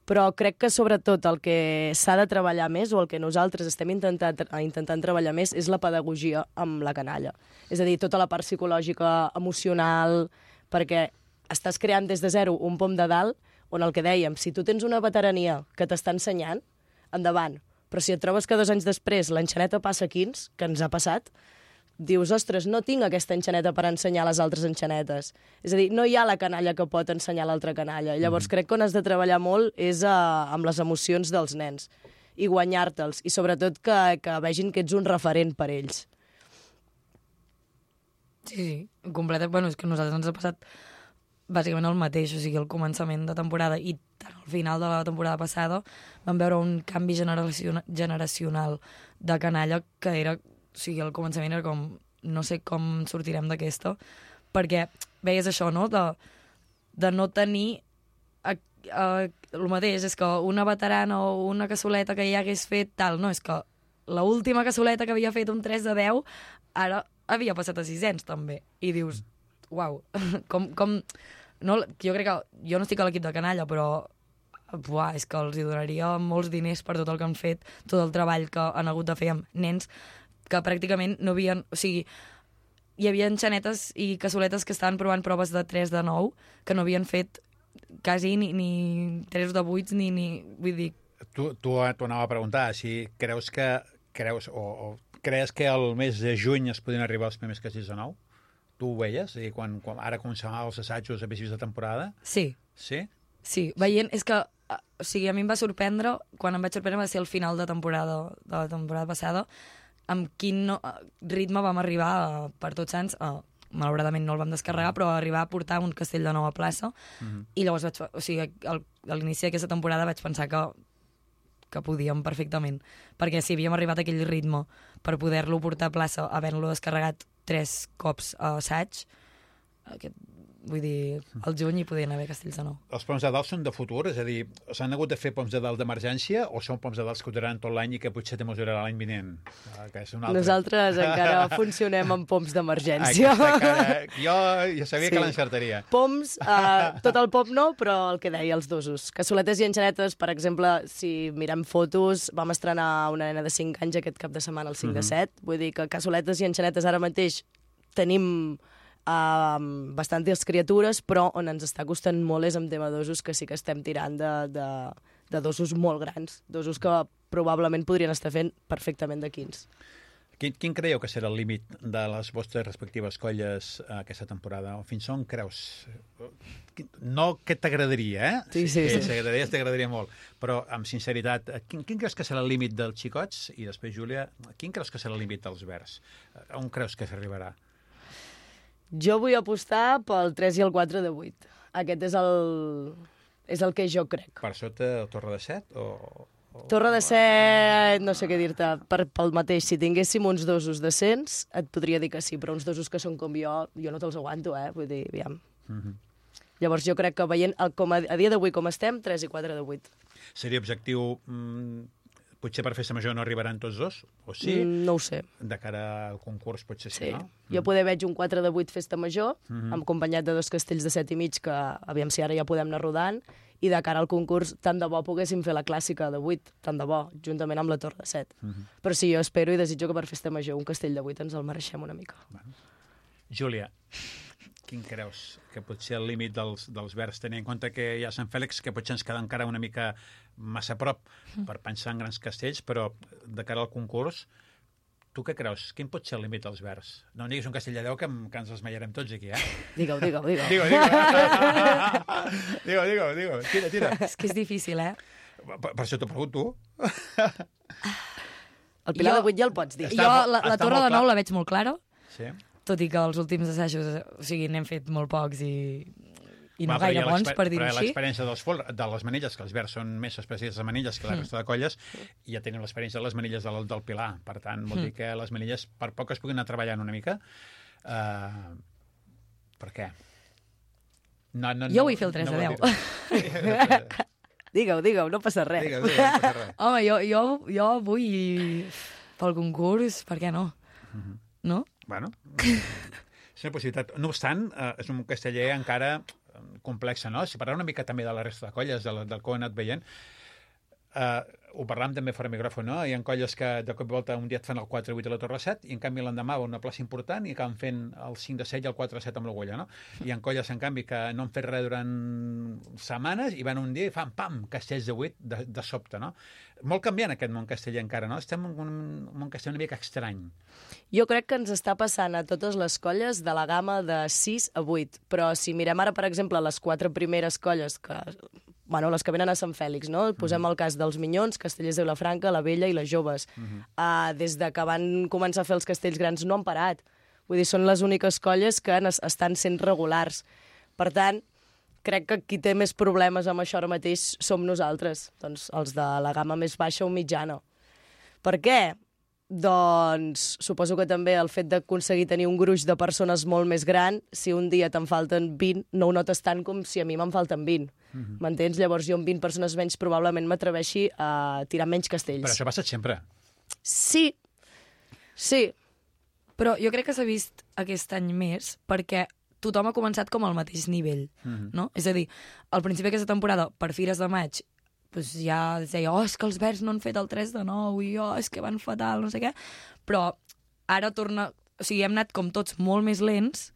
Però crec que sobretot el que s'ha de treballar més, o el que nosaltres estem intentant, intentant treballar més, és la pedagogia amb la canalla. És a dir, tota la part psicològica, emocional, perquè estàs creant des de zero un pom de dalt, on el que dèiem, si tu tens una veterania que t'està ensenyant, endavant. Però si et trobes que dos anys després l'enxaneta passa quins, que ens ha passat, dius, ostres, no tinc aquesta enxaneta per ensenyar les altres enxanetes. És a dir, no hi ha la canalla que pot ensenyar l'altra canalla. Llavors, mm. crec que on has de treballar molt és uh, amb les emocions dels nens i guanyar-te'ls, i sobretot que, que vegin que ets un referent per ells. Sí, sí, completa. Bueno, és que a nosaltres ens ha passat bàsicament el mateix, o sigui, el començament de temporada i al final de la temporada passada vam veure un canvi generacion generacional de canalla que era... O sigui, al començament era com, no sé com sortirem d'aquesta, perquè veies això, no?, de, de no tenir a, a, el mateix, és que una veterana o una cassoleta que ja hagués fet tal, no, és que l'última cassoleta que havia fet un tres de deu, ara havia passat a sisens, també. I dius, uau, com... com no, jo crec que... Jo no estic a l'equip de canalla, però... Buah, és que els hi donaria molts diners per tot el que han fet, tot el treball que han hagut de fer amb nens que pràcticament no havien... O sigui, hi havia enxanetes i cassoletes que estaven provant proves de tres de nou que no havien fet quasi ni, ni tres de vuit, ni... ni vull dir... Tu, tu t'ho anava a preguntar, si creus que... creus o, o creus que al mes de juny es podien arribar els primers castells de nou? Tu ho veies? I quan, quan ara començaven els assajos a principis de temporada? Sí. Sí? Sí, veient... És que, o sigui, a mi em va sorprendre, quan em vaig sorprendre va ser el final de temporada, de la temporada passada, amb quin no, ritme vam arribar uh, per Tots Sants, uh, malauradament no el vam descarregar, però arribar a portar un castell de nou a plaça, mm-hmm. i llavors vaig, o sigui, al, a l'inici d'aquesta temporada vaig pensar que, que podíem perfectament, perquè si havíem arribat a aquell ritme per poder-lo portar a plaça, havent-lo descarregat tres cops a assaig, aquest, vull dir, al juny hi podien haver castells de nou. Els poms de dalt són de futur? És a dir, s'han hagut de fer poms de dalt d'emergència o són poms de dalt que duraran tot l'any i que potser també us durarà l'any vinent? Que és un altre... Nosaltres encara funcionem amb poms d'emergència. Jo ja sabia sí. que l'encertaria. Poms, uh, tot el pom no, però el que deia, els dosos. Cassoletes i enxanetes, per exemple, si mirem fotos, vam estrenar una nena de cinc anys aquest cap de setmana, el cinc de set. Vull dir que cassoletes i enxanetes ara mateix tenim... Uh, bastantes criatures, però on ens està costant molt és amb tema dosos, que sí que estem tirant de, de, de dosos molt grans, dosos que probablement podrien estar fent perfectament de quins. Quin, quin creieu que serà el límit de les vostres respectives colles uh, aquesta temporada? O fins on creus? No que t'agradaria, eh? Sí, sí, sí. Si t'agradaria, t'agradaria molt. Però, amb sinceritat, quin, quin creus que serà el límit dels xicots? I després, Júlia, quin creus que serà el límit dels verds? On creus que s'arribarà? Jo vull apostar pel tres i el quatre de vuit. Aquest és el, és el que jo crec. Per sota el Torre de set? O, o... Torre de set, no sé què dir-te. Per, pel mateix, si tinguéssim uns dosos decents, et podria dir que sí, però uns dosos que són com jo, jo no te'ls aguanto, eh? Vull dir, aviam. Mm-hmm. Llavors jo crec que veient, el, com a, a dia d'avui com estem, tres i quatre de vuit. Seria objectiu... Mm... Potser per festa major no arribaran tots dos, o sí? Mm, no ho sé. De cara al concurs potser sí, sí. no? Jo poder veig un quatre de vuit festa major, mm-hmm. acompanyat de dos castells de set i mig, que aviam si ara ja podem anar rodant, i de cara al concurs, tant de bo poguéssim fer la clàssica de vuit, tant de bo, juntament amb la torre de set. Mm-hmm. Però sí, jo espero i desitjo que per festa major un castell de vuit ens el mereixem una mica. Bueno. Júlia, quin creus que pot ser el límit dels, dels verds, tenint en compte que hi ha Sant Fèlix, que potser ens queda encara una mica massa a prop per pensar en grans castells, però de cara al concurs, tu què creus? Quin pot ser el límit dels verds? No em diguis un castell de deu, que, que ens esmaiarem tots aquí, eh? Digue-ho, digue-ho, digue-ho. Digue-ho, digue-ho. Digue-ho, digue-ho, digue-ho. Tira, tira. És que és difícil, eh? Per, per això t'ho pregunto. El Pilar Jo- de vuit ja el pots dir. Està Jo molt- la, la està Torre molt de clar. Nou la veig molt clara, Sí. tot i que els últims assajos, o sigui, n'hem fet molt pocs i, i no Va, però hi gaire ha bons, l'exper- per dir-ho però hi ha així. l'experiència dels fol- de les manilles, que els verds són més especialistes en manilles que la Mm. resta de colles, i ja tenim l'experiència de les manilles del, del Pilar. Per tant, vol Mm. dir que les manilles, per poc es puguin anar treballant una mica. Uh, per què? No, no, Jo vull fer el tres no de vol deu. dir-ho. Digue-ho, digue-ho, no passa res. Digues, digues, no passa res. Home, jo, jo, jo vull pel concurs, per què no? No? Bueno, és una possibilitat. No obstant, eh, és un casteller encara eh, complex, no? Si parlem una mica també de la resta de colles, de la, del que ho he anat veient, eh, ho parlàvem també fora micròfon, no? Hi ha colles que de cop i volta un dia et fan el quatre vuit a la Torre set i en canvi l'endemà va a una plaça important i acaben fent el cinc de set i el quatre set amb l'Agulla, no? Hi ha colles, en canvi, que no han fet res durant setmanes i van un dia i fan, pam, castells de vuit de, de sobte, no? Molt canviant aquest món casteller encara, no? Estem en un món casteller una mica estrany. Jo crec que ens està passant a totes les colles de la gamma de sis a vuit, però si mirem ara, per exemple, les quatre primeres colles, que, bueno, les que venen a Sant Fèlix, no? Posem el cas dels Minyons, Castellers de Vilafranca, la Vella i les Joves. Mhm. Uh, des de que van començar a fer els castells grans no han parat. Vull dir, són les úniques colles que es- estan sent regulars. Per tant, crec que qui té més problemes amb això ara mateix som nosaltres, doncs els de la gamma més baixa o mitjana. Per què? Doncs suposo que també el fet d'aconseguir tenir un gruix de persones molt més gran, si un dia te'n falten vint, no ho notes tant com si a mi me'n falten vint. M'entens? Llavors jo amb vint persones menys probablement m'atreveixi a tirar menys castells. Però això ha passat sempre. Sí, sí. Però jo crec que s'ha vist aquest any més perquè tothom ha començat com al mateix nivell, Mhm. no? És a dir, al principi d'aquesta temporada, per Fires de Maig, doncs ja es deia, oh, és que els verds no han fet el tres de nou, i oh, és que van fatal, no sé què. Però ara torna... O sigui, hem anat com tots molt més lents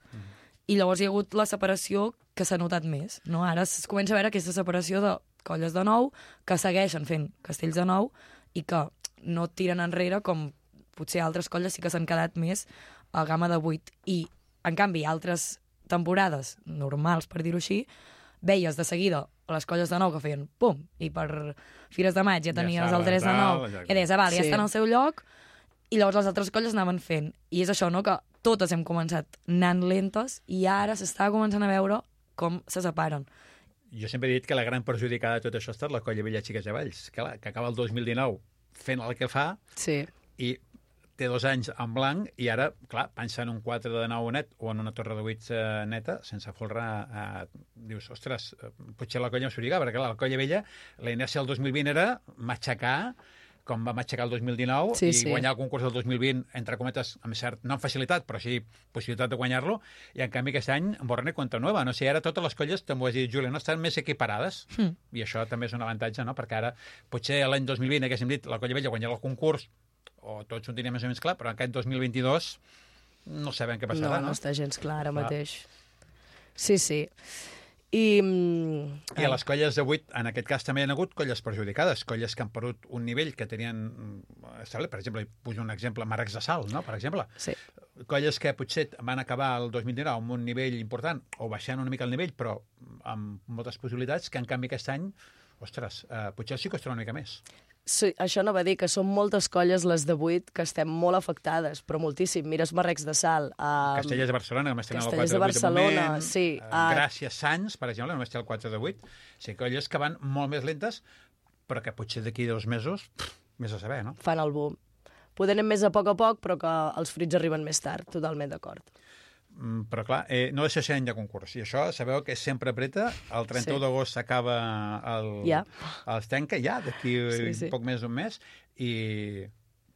i llavors hi ha hagut la separació que s'ha notat més, no? Ara es comença a veure aquesta separació de colles de nou que segueixen fent castells de nou i que no tiren enrere com potser altres colles sí que s'han quedat més a gamma de vuit. I, en canvi, altres temporades normals, per dir-ho així, veies de seguida les colles de nou que feien pum, i per Fires de Maig ja Ja tenies saben, el tres de tal, nou, ja- i deies, ah, val, ja Sí. estan al seu lloc, i llavors les altres colles anaven fent. I és això, no?, que totes hem començat anant lentes i ara s'està començant a veure com se separen. Jo sempre he dit que la gran perjudicada de tot això ha estat la colla Vella Xiques de Valls, que, clar, que acaba el dos mil dinou fent el que fa Sí. i té dos anys en blanc i ara, clar, pensa en un quatre de nou net o en una torre de vuit eh, neta, sense folre, eh, dius, ostres, eh, potser la colla m'explica, perquè clar, la colla vella, la inèrcia del dos mil vint era matxacar, com va matxacar el dos mil dinou, Sí, i sí. guanyar el concurs del dos mil vint, entre cometes, amb cert, no amb facilitat, però sí possibilitat de guanyar-lo, i en canvi aquest any, borrón i cuenta nueva. No sé, ara totes les colles, també ho has dit, Júlia, no estan més equiparades, Mm. i això també és un avantatge, no?, perquè ara, potser l'any dos mil vint haguéssim dit, la colla vella guanyarà el concurs, o tots ho teníem més o menys clar, però aquest dos mil vint-i-dos no sabem què passarà, no, no? no està gens clar ara Clar. mateix. Sí, sí. I... mm, I a les colles de vuit, en aquest cas també hi ha hagut colles perjudicades, colles que han perdut un nivell que tenien establert. Per exemple, poso un exemple, Marcs de Sal, no?, per exemple. Sí. Colles que potser van acabar el dos mil dinou amb un nivell important o baixant una mica el nivell, però amb moltes possibilitats, que en canvi aquest any, ostres, eh, potser sí costarà una mica més. Sí, això no va dir que són moltes colles, les de vuit, que estem molt afectades, però moltíssim. Mires Marrecs de Sal. Uh, Castellers de Barcelona, només tenen el Castellers quatre de vuit de Barcelona, moment. sí. Uh, Uh, Gràcies Sants, per exemple, només té el quatre de vuit. O sigui, colles que van molt més lentes, però que potser d'aquí dos mesos, pff, més a saber, no? fan el boom. Poder anem més a poc a poc, però que els fruits arriben més tard, totalment d'acord. Mm, però clar, eh, no deixa ser any de concurs. I això sabeu que sempre apreta. El trenta-u Sí. d'agost s'acaba el, Ja. els tanca, ja, d'aquí Sí, sí, sí. sí. poc més d'un mes. I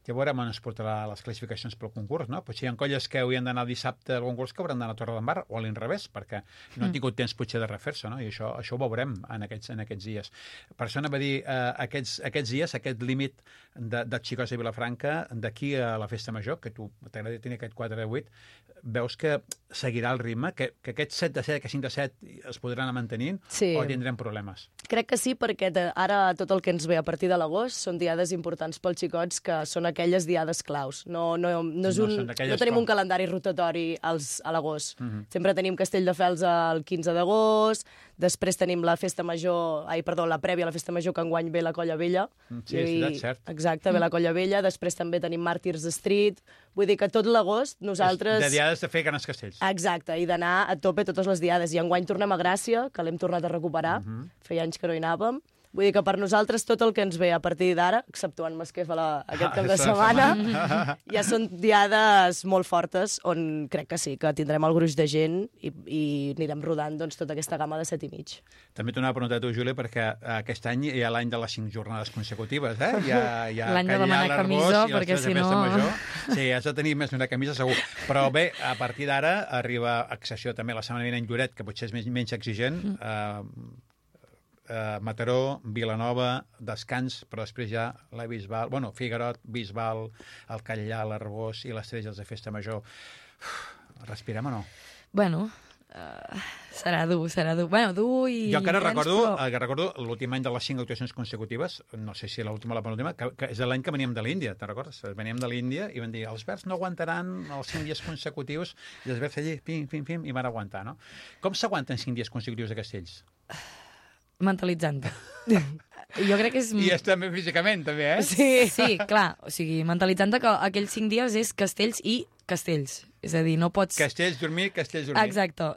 Ja veurem on es portarà les classificacions pel concurs, no? Potser hi ha colles que haurien d'anar dissabte al concurs que hauran d'anar a Torredembarra, o a l'inrevés, perquè no han tingut temps potser de refer-se, no? I això, això ho veurem en aquests, en aquests dies. Per això anava a dir, eh, aquests, aquests dies, aquest límit de, de Xicots i Vilafranca, d'aquí a la Festa Major, que tu t'agrada tenir aquest quatre de vuit, veus que seguirà el ritme, que, que aquests set de set, que cinc de set es podran anar mantenint, sí. o tindrem problemes? Crec que sí, perquè de, ara tot el que ens ve a partir de l'agost són diades importants pels xicots, que són aquelles diades claus. No, no, no, és un, no, no tenim com... un calendari rotatori als, a l'agost. Uh-huh. Sempre tenim Castelldefels el quinze d'agost, després tenim la Festa Major, ai, perdó, la prèvia a la Festa Major, que enguany ve la Colla Vella. Sí, i, és cert. Exacte, ve la Colla Vella, després també tenim Màrtirs Street. Vull dir que tot l'agost nosaltres... De diades de fer grans castells. Exacte, i d'anar a tope totes les diades. I enguany tornem a Gràcia, que l'hem tornat a recuperar. Uh-huh. Feia anys que no hi anàvem. Vull dir que per nosaltres tot el que ens ve a partir d'ara, exceptuant Masquefa la, aquest cap de setmana, ja són diades molt fortes on crec que sí, que tindrem el gruix de gent i, i anirem rodant doncs, tota aquesta gamma de set i mig. També t'ho anava a preguntar a tu, Júlia, perquè aquest any hi ha l'any de les cinc jornades consecutives, eh? Hi ha, hi ha l'any de demanar camisa, perquè si no... Sí, has de tenir més d'una camisa, segur. Però bé, a partir d'ara arriba, a excepció també la setmana vinent Lloret, que potser és més, menys exigent, eh, Uh, Mataró, Vilanova, descans, però després ja la Bisbal, bueno, Figuerot, Bisbal, el Catllà, l'Arbós i les Trelles de Festa Major. Uf, respirem o no? Bueno, uh, serà dur, serà dur. Bueno, dur i... Jo encara recordo, però... que recordo l'últim any de les cinc actuacions consecutives, no sé si l'última o la penúltima, que, que és l'any que veníem de l'Índia, te'n recordes? Veníem de l'Índia i van dir, els verds no aguantaran els cinc dies consecutius, i els verds allí, pim, pim, pim, i van aguantar, no? Com s'aguanten cinc dies consecutius a Castells? Mentalitzant-te. Jo crec que és... I és també físicament, també, eh? Sí, sí, clar. O sigui, mentalitzant-te que aquells cinc dies és castells i castells. És a dir, no pots... Castells, dormir, castells, dormir. Exacte.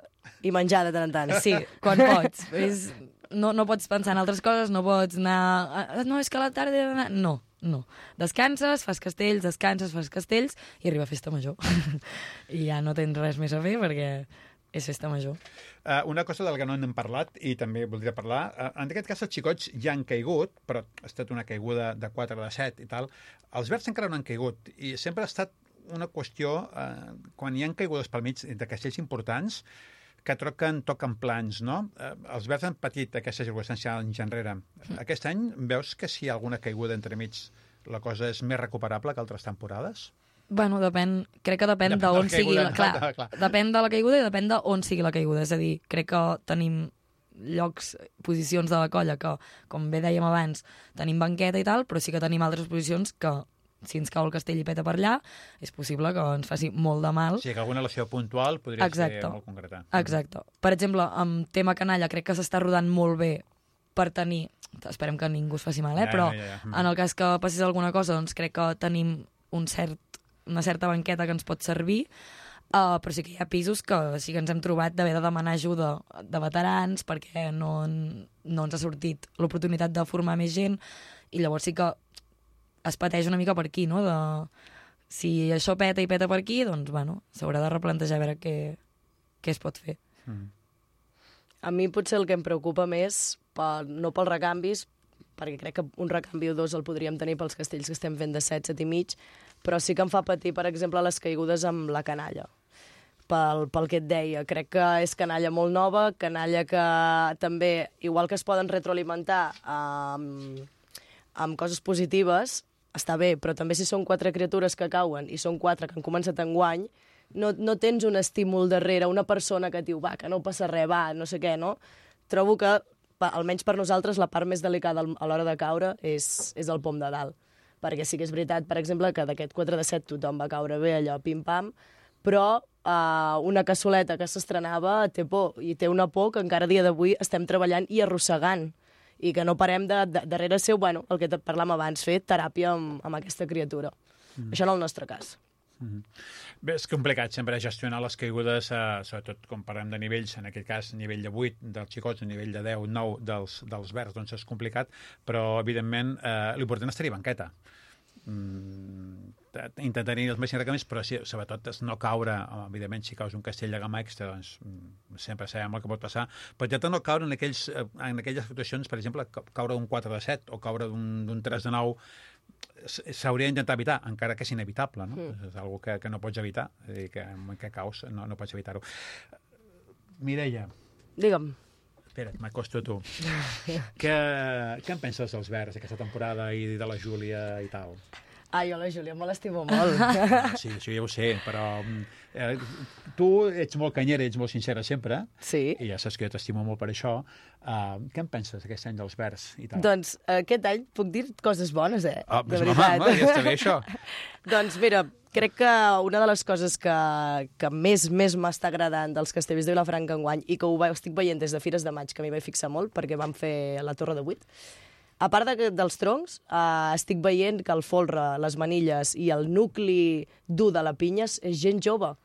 I menjar de tant en tant. Sí, quan pots. És... No, no pots pensar en altres coses, no pots anar... No, és que a la tarda he d'anar... No, no. Descanses, fas castells, descanses, fas castells i arriba Festa Major. I ja no tens res més a fer perquè... és Festa Major. Uh, una cosa del que no n'hem parlat, i també voldria parlar, uh, en aquest cas els xicots ja han caigut, però ha estat una caiguda de quatre de set i tal. Els verds encara no han caigut, i sempre ha estat una qüestió, uh, quan hi ha caigudes pel mig de castells importants, que troquen, toquen plans, no? Uh, els verds han patit aquesta circumstància anys enrere. Aquest any veus que si hi ha alguna caiguda entremig la cosa és més recuperable que altres temporades? Bueno, depèn, crec que depèn d'on de sigui la, clar, clar, clar. Depèn de la caiguda i depèn d'on sigui la caiguda. És a dir, crec que tenim llocs, posicions de la colla que, com bé dèiem abans, tenim banqueta i tal, però sí que tenim altres posicions que, si ens cau el castell i peta per allà, és possible que ens faci molt de mal. Sí, que alguna lesió puntual podria Exacte. ser molt concreta. Exacte. Per exemple, amb tema canalla, crec que s'està rodant molt bé per tenir... Esperem que ningú es faci mal, eh? Ja, però ja, ja, ja. en el cas que passés alguna cosa, doncs crec que tenim un cert una certa banqueta que ens pot servir, uh, però sí que hi ha pisos que sí que ens hem trobat d'haver de demanar ajuda de veterans perquè no, no ens ha sortit l'oportunitat de formar més gent, i llavors sí que es pateix una mica per aquí, no? De, si això peta i peta per aquí, doncs, bueno, s'haurà de replantejar a veure què, què es pot fer. Mm. A mi potser el que em preocupa més, per, no pels recanvis, perquè crec que un recanvi o dos el podríem tenir pels castells que estem fent de set, set i mig, però sí que em fa patir, per exemple, les caigudes amb la canalla. Pel, pel que et deia, crec que és canalla molt nova, canalla que també, igual que es poden retroalimentar amb, amb coses positives, està bé, però també si són quatre criatures que cauen i són quatre que han començat enguany, no, no tens un estímul darrere, una persona que et diu, va, que no passa res, va, no sé què, no? Trobo que, almenys per nosaltres, la part més delicada a l'hora de caure és, és el pom de dalt. Perquè sí que és veritat, per exemple, que d'aquest quatre de set tothom va caure bé, allò pim-pam, però uh, una cassoleta que s'estrenava té por, i té una por que encara a dia d'avui estem treballant i arrossegant, i que no parem de, de, darrere seu, bueno, el que parlàvem abans, fer teràpia amb, amb aquesta criatura. Mm. Això en el nostre cas. Mm-hmm. Bé, és complicat sempre gestionar les caigudes, eh, sobretot quan parlem de nivells, en aquest cas nivell de vuit dels xicots, nivell de deu, nou dels, dels verds, doncs és complicat, però evidentment eh, l'important és tenir banqueta. Mm, intentar-hi els màxims recamis, però sí, sobretot és no caure, evidentment si caus un castell de gamma extra, doncs sempre sabem el que pot passar, però intentar no caure en, aquells, en aquelles situacions, per exemple, caure d'un quatre de set o caure d'un tres de nou, s'hauria d'intentar evitar, encara que és inevitable, no? Mm. És una que, que no pots evitar, és a dir, que en què caus no, no pots evitar-ho. Mireia. Digue'm. Espera't, m'acosto a tu. què, què en penses dels Verds aquesta temporada i de la Júlia i tal? Ah, jo la Júlia me l'estimo molt. Sí, això ja ho sé, però eh, tu ets molt canyera, ets molt sincera sempre, sí. I ja saps que jo t'estimo molt per això. Uh, què en penses aquest any dels Verds i tal? Doncs aquest any puc dir coses bones, eh? Ah, de doncs, veritat. home, ja està bé això. Doncs mira, crec que una de les coses que, que més més m'està agradant dels Castellers de Vilafranca enguany i que ho estic veient des de Fires de Maig, que m'hi vaig fixar molt perquè vam fer la Torre de Vuit, a part de, dels troncs, eh, estic veient que el folre, les manilles i el nucli dur de la pinya és gent jove.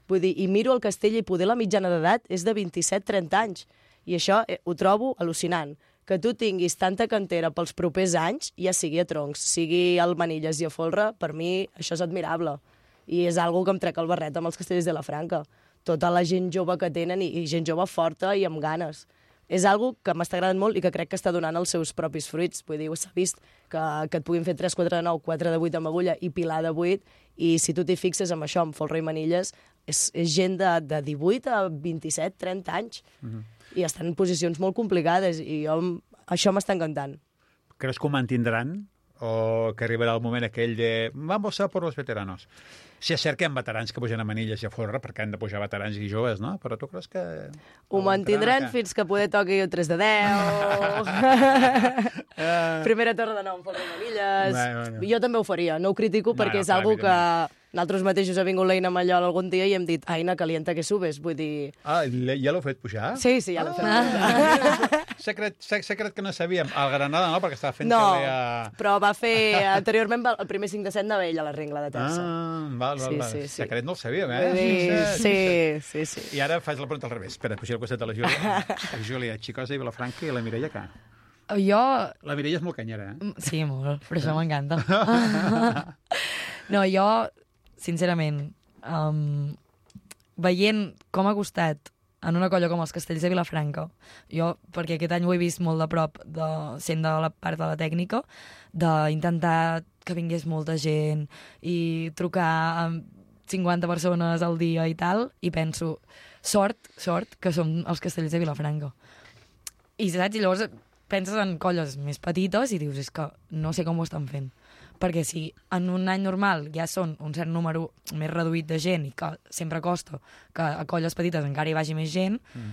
Vull dir, i miro el castell i poder la mitjana d'edat és de vint-i-set trenta anys. I això eh, ho trobo al·lucinant. Que tu tinguis tanta cantera pels propers anys, ja sigui a troncs, sigui al manilles i a folre, per mi això és admirable. I és algo que em trec el barret amb els Castellers de Vilafranca. Tota la gent jove que tenen i, i gent jove forta i amb ganes. És algo que m'està agradant molt i que crec que està donant els seus propis fruits. Vull dir, s'ha vist que, que et puguin fer tres quatre de nou, quatre de vuit amb agulla i pilar de vuit, i si tu t'hi fixes amb això, amb folre i manilles, és, és gent de, de divuit a vint-i-set trenta anys. Mm-hmm. I estan en posicions molt complicades, i jo, això m'està encantant. Creus que ho mantindran? O que arribarà el moment aquell de vamos a por los veteranos? Si és cert que hi ha veterans que pugen a manilles i a folre perquè han de pujar veterans i joves, no? Però tu creus que... Ho mantindran que... fins que poder toqui el tres de deu... Primera torre de nou amb folre i manilles... Bueno, bueno. Jo també ho faria, no ho critico perquè no, no, és algo que... Nosaltres mateixos ha vingut l'Eina Mallol algun dia i hem dit Aina, calienta que subes, vull dir... Ah, ja l'heu fet pujar? Sí, sí, ja l'heu fet pujar. Secret, secret que no sabíem. El Granada no, perquè estava fent... No, a... però va fer... Anteriorment el primer cinc de set anava ell a la Rengla de Terça. Ah, val, val, sí, val. Sí, sí. Secret no el sabíem, eh? Sí, sí, sí, sí. I ara faig la pregunta al revés. Espera, pujar al costat de la Júlia. La Júlia, Xicosa i Vilafranca, i la Mireia, què? Jo... La Mireia és molt canyera, eh? Sí, molt, però això m'encanta. No, jo... Sincerament, um, veient com ha costat en una colla com els Castells de Vilafranca, jo, perquè aquest any ho he vist molt de prop, de, sent de la part de la tècnica, d'intentar que vingués molta gent i trucar amb cinquanta persones al dia i tal, i penso, sort, sort, que som els Castells de Vilafranca. I saps? I llavors penses en colles més petites i dius, és que no sé com ho estan fent. Perquè si en un any normal ja són un cert número més reduït de gent i que sempre costa que a colles petites encara hi vagi més gent, mm.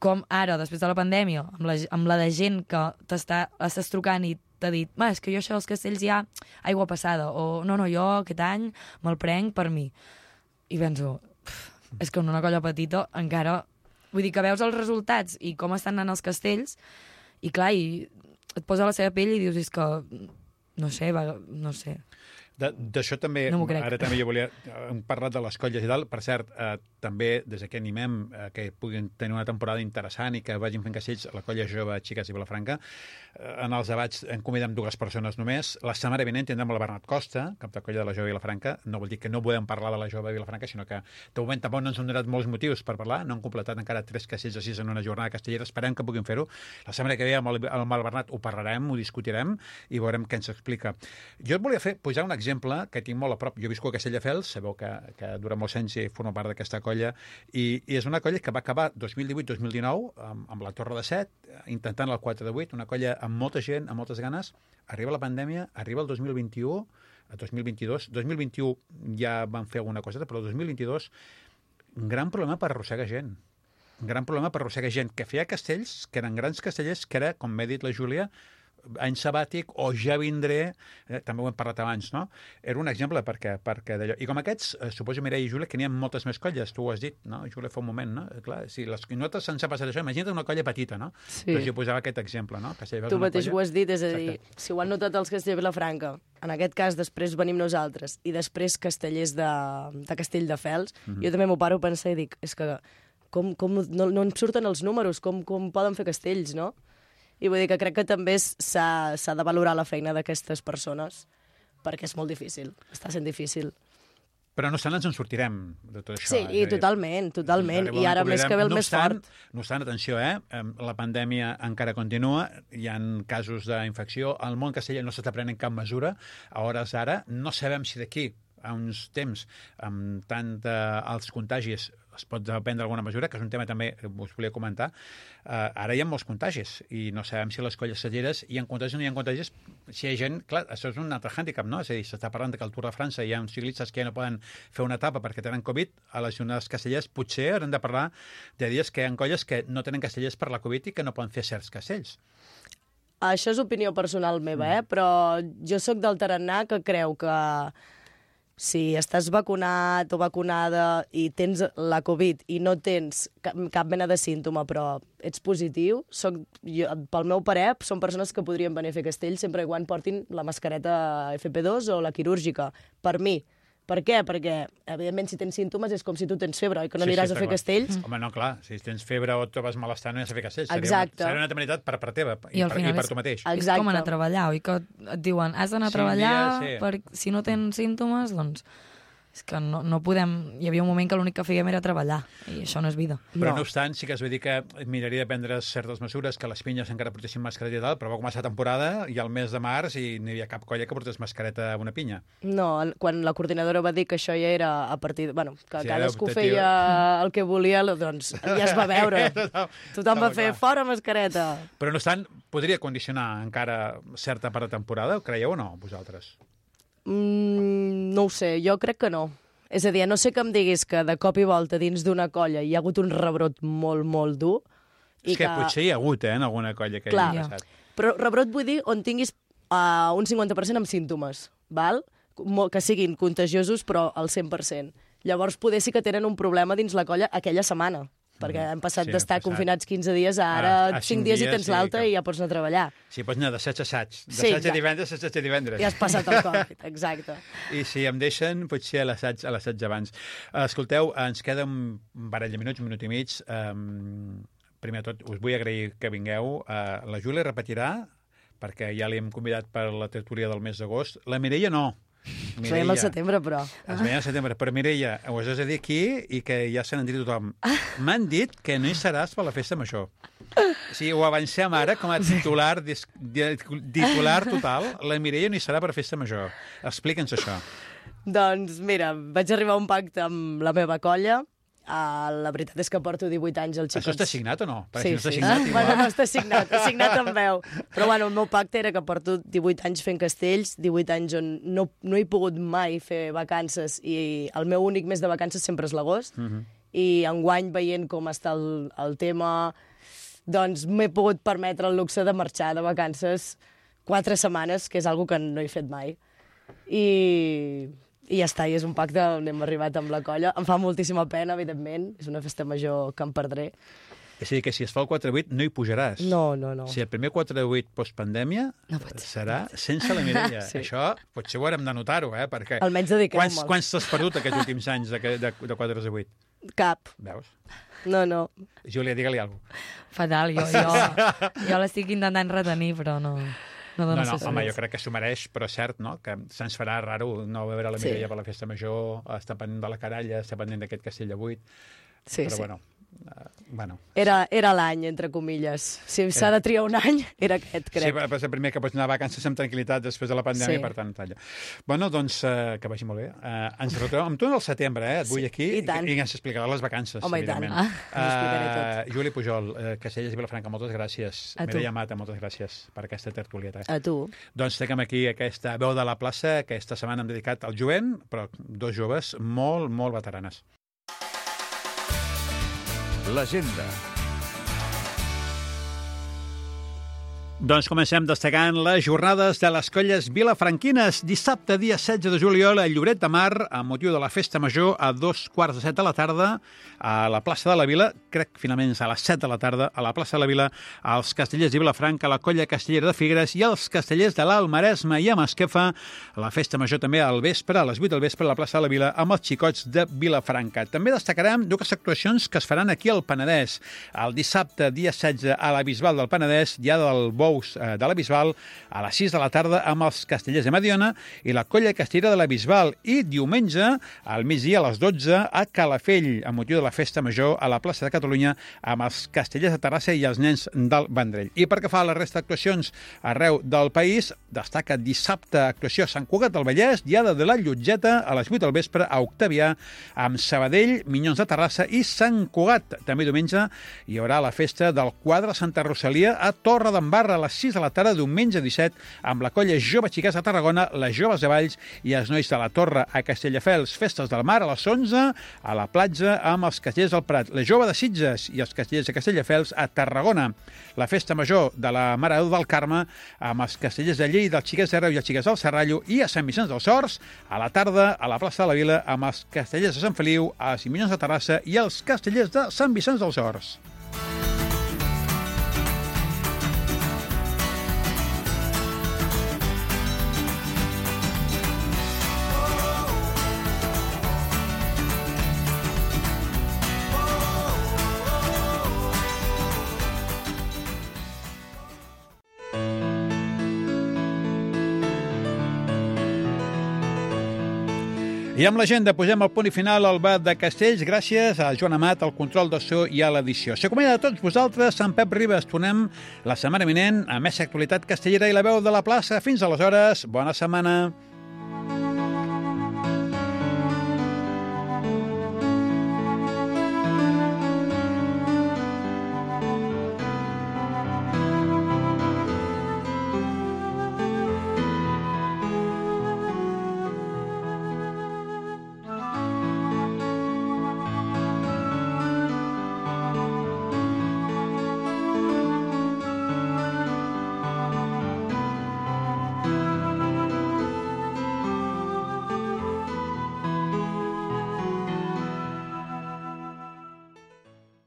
com ara, després de la pandèmia, amb la, amb la de gent que t'estàs trucant i t'ha dit, és que jo això dels castells ja aigua passada, o no, no, jo aquest any me'l prenc per mi. I penso, és que en una colla petita encara... Vull dir que veus els resultats i com estan anant els castells i clar, i et posa a la seva pell i dius, és que... No sé, va, no sé. D'això també, no ara també jo volia hem parlat de les colles i tal, per cert, eh, també des que animem eh, que puguin tenir una temporada interessant i que vagin fent castells a la colla jove Xiques i Vilafranca, eh, en els debats en convidem dues persones només. La setmana vinent tindrem la Bernat Costa, cap de colla de la jove Vilafranca. No vol dir que no podem parlar de la jove Vilafranca, sinó que de moment tampoc no ens han donat molts motius per parlar, no han completat encara tres castells o sis en una jornada castellera, esperem que puguin fer-ho. La setmana que ve amb el, amb el Bernat ho parlarem, ho discutirem i veurem què ens explica. Jo et volia fer posar un exemple que tinc molt a prop. Jo visco a Castelldefels, sabeu que, que durant molts anys he format part d'aquesta colla, i, i és una colla que va acabar dos mil divuit dos mil dinou amb, amb la Torre de Set, intentant el quatre de vuit, una colla amb molta gent, amb moltes ganes. Arriba la pandèmia, arriba el dos mil vint-i-u, a dos mil vint-i-dos. dos mil vint-i-u ja van fer alguna coseta, però el dos mil vint-i-dos un gran problema per arrossegar gent. Un gran problema per arrossegar gent que feia castells, que eren grans castellers, que era, com m'ha dit la Júlia, any sabàtic o ja vindré, eh, també ho hem parlat abans, no? Era un exemple perquè, perquè d'allò. I com aquests, eh, suposo, Mireia i Júlia, que n'hi ha moltes més colles, tu ho has dit, no? Júlia, fa un moment, no? Clar, si les nosaltres se'ns ha passat això, imagina't una colla petita, no? Sí. Doncs jo posava aquest exemple, no? Que si tu mateix colla... ho has dit, és a dir, exacte. Si ho han notat els Castellers de Vilafranca, en aquest cas després venim nosaltres, i després Castellers de, de Castelldefels, mm-hmm. jo també m'ho paro a pensar i dic, és que com, com no, no ens surten els números, com, com poden fer castells, no? I vull dir que crec que també s'ha de valorar la feina d'aquestes persones, perquè és molt difícil, està sent difícil. Però no obstant ens en sortirem de tot això. Sí, i totalment, totalment. I ara més que ve el més fort. No obstant, atenció, eh? La pandèmia encara continua, hi ha casos d'infecció, el món castellà no s'està prenent cap mesura, a hores d'ara no sabem si d'aquí a uns temps amb tant alts contagis es pot prendre alguna mesura, que és un tema també que us volia comentar. Uh, ara hi ha molts contagis i no sabem si les colles castelleres hi ha contagis o no hi ha contagis. Si hi ha gent, clar, això és un altre hàndicap, no? És a dir, s'està parlant que al Tour de França hi ha uns ciclistes que ja no poden fer una etapa perquè tenen Covid. A les jornades castellers potser haurem de parlar de dies que hi ha colles que no tenen castellers per la Covid i que no poden fer certs castells. Això és opinió personal meva, eh? Però jo sóc del tarannà que creu que si estàs vacunat o vacunada i tens la Covid i no tens cap, cap mena de símptoma, però ets positiu, soc, jo, pel meu parer, són persones que podrien venir a fer castells sempre i quan portin la mascareta F P dos o la quirúrgica. Per mi. Per què? Perquè, evidentment, si tens símptomes és com si tu tens febre, oi? Que no sí, aniràs sí, a fer clar. castells. Home, no, clar, si tens febre o et trobes malestar no hi has de fer castells. Exacte. Seria una, seria una temeritat per part teva i, I, per, i per tu mateix. És Exacte. com anar a treballar, oi? Que et diuen, has d'anar a Sí, treballar, dia, sí. per, si no tens símptomes, doncs... És que no, no podem... Hi havia un moment que l'únic que fèiem era treballar, i això no és vida. Però No. no obstant, sí que es va dir que miraria de prendre certes mesures, que les pinyes encara portessin mascareta i tal, però va començar temporada i al mes de març i no hi havia cap colla que portés mascareta a una pinya. No, quan la coordinadora va dir que això ja era a partir... De, bueno, que Sí, cadascú optatiu. feia el que volia, doncs ja es va veure. Total, Tothom va estava fer clar. fora mascareta. Però no obstant, podria condicionar encara certa part de temporada, ho creieu o no, vosaltres? Mm, no ho sé, jo crec que no. És a dir, a no sé que em diguis que de cop i volta dins d'una colla hi ha hagut un rebrot molt, molt dur. I és que, que potser hi ha hagut, eh, en alguna colla que Clar. hi ha passat. Però rebrot vull dir on tinguis uh, un cinquanta per cent amb símptomes, val? Mo- que siguin contagiosos però al cent per cent. Llavors poder sí que tenen un problema dins la colla aquella setmana, perquè hem passat sí, d'estar hem passat. confinats quinze dies a ara A- a cinc cinc dies i dies, tens sí, l'alta que- i ja pots anar a treballar. Sí, pots anar d'assaig a assaig. Sí, D'assaig a exacte. divendres a assaig a divendres. Ja has passat el Covid, exacte. I si em deixen, potser a l'assaig a l'assaig abans. Escolteu, ens queda un parell de minuts, un minut i mig. Um, primer de tot, us vull agrair que vingueu. Uh, la Júlia repetirà, perquè ja li hem convidat per la tertúlia del mes d'agost. La Mireia no. Ens veiem al setembre, però. Es veiem al setembre. Però Mireia, ho has de dir aquí i que ja se n'han dit tothom. M'han dit que no hi seràs per la festa major. Sí, ho avancem ara com a titular, dis, titular total. La Mireia no hi serà per festa major. Explica'ns això. Doncs mira, vaig arribar a un pacte amb la meva colla. Uh, la veritat és que porto divuit anys al Xicots. Això està signat o no? Perquè Sí, si no està sí. signat, Ah, igual. bueno, no està signat, està signat en veu. Però bueno, el meu pacte era que porto divuit anys fent castells, divuit anys on no, no he pogut mai fer vacances i el meu únic mes de vacances sempre és l'agost. Uh -huh. I enguany, veient com està el, el tema, doncs m'he pogut permetre el luxe de marxar de vacances quatre setmanes, que és algo que no he fet mai. I... I ja està, i és un pacte on hem arribat amb la colla. Em fa moltíssima pena, evidentment. És una festa major que em perdré. És a dir, que si es fa el quatre vuit no hi pujaràs. No, no, no. Si el primer quatre vuit postpandèmia No pot ser. serà sense la Mireia. Sí. Això potser ho haurem de notar-ho, eh? Perquè Almenys dediqueu-me'l. quants, quants t'has perdut aquests últims anys de, de, de quatre a vuit? Cap. Veus? No, no. Júlia, digue-li alguna cosa. Fatal, jo, jo, jo l'estic intentant retenir, però no, no No, dono no, ses home, més. jo crec que s'ho mereix, però és cert, no?, que se'ns farà raro no veure la Sí. Mireia per la festa major, estar pendent de la caralla, estar pendent d'aquest castell de vuit, Sí, però sí. bueno, uh, bueno. Era, era l'any, entre comilles. Si s'ha de triar un any, era aquest, crec. Sí, però és el primer que pots anar a vacances amb tranquil·litat després de la pandèmia, Sí. per tant, talla. Bueno, doncs, uh, que vagi molt bé. Uh, ens retrobem amb tu al setembre, eh? Et vull Sí, aquí i tant. i, i ens explicarà les vacances, Home, i tant. evidentment. Ah, us explicaré Uh, Juli Pujol, uh, Castelles i Vilafranca, moltes gràcies. A tu. Mireia Mata, moltes gràcies per aquesta tertulieta. A tu. Doncs tenim aquí aquesta veu de la plaça, que aquesta setmana hem dedicat al jovent, però dos joves molt, molt veteranes. L'agenda. Doncs comencem destacant les jornades de les colles vilafranquines. Dissabte, dia setze de juliol, a Lloret de Mar, amb motiu de la festa major, a dos quarts de set de la tarda, a la plaça de la Vila, crec que finalment és a les set de la tarda, a la plaça de la Vila, als castellers de Vilafranca, la colla castellera de Figueres i els castellers de l'Alt Maresme i a Masquefa, la festa major també al vespre, a les vuit del vespre, a la plaça de la Vila, amb els xicots de Vilafranca. També destacarem dues actuacions que es faran aquí al Penedès. El dissabte, dia setze, a la Bisbal del Penedès, dia del bo Bous de la Bisbal a les sis de la tarda amb els Castellers de Mediona i la Colla Castellera de la Bisbal. I diumenge, al migdia a les dotze, a Calafell, amb motiu de la Festa Major a la plaça de Catalunya amb els Castellers de Terrassa i els nens del Vendrell. I pel que fa a la resta d'actuacions arreu del país, destaca dissabte actuació a Sant Cugat del Vallès, Diada de la Llotgeta a les vuit del vespre a Octavià, amb Sabadell, Minyons de Terrassa i Sant Cugat. També diumenge hi haurà la festa del quadre Santa Rosalia a Torre d'Embarra a les sis de la tarda, diumenge disset, amb la colla Jove Xiquets de Tarragona, les Joves de Valls i els Nois de la Torre a Castelldefels. Festes del Mar a les onze, a la platja amb els Castellers del Prat, la Jove de Sitges i els Castellers de Castelldefels a Tarragona. La festa major de la Mare de Déu del Carme amb els Castellers de Lleida, els Xiquets de Reus i els Xiquets del Serrallo, i a Sant Vicenç dels Horts a la tarda a la plaça de la Vila amb els Castellers de Sant Feliu, a Minyons de Terrassa i els Castellers de Sant Vicenç dels Horts. I amb l'agenda posem el punt i final al Bat de Castells, gràcies a Joan Amat, al control de so i a l'edició. S'acomiada de tots vosaltres, Sant Pep Ribes. Tornem la setmana vinent a més actualitat castellera i la veu de la plaça. Fins aleshores, bona setmana.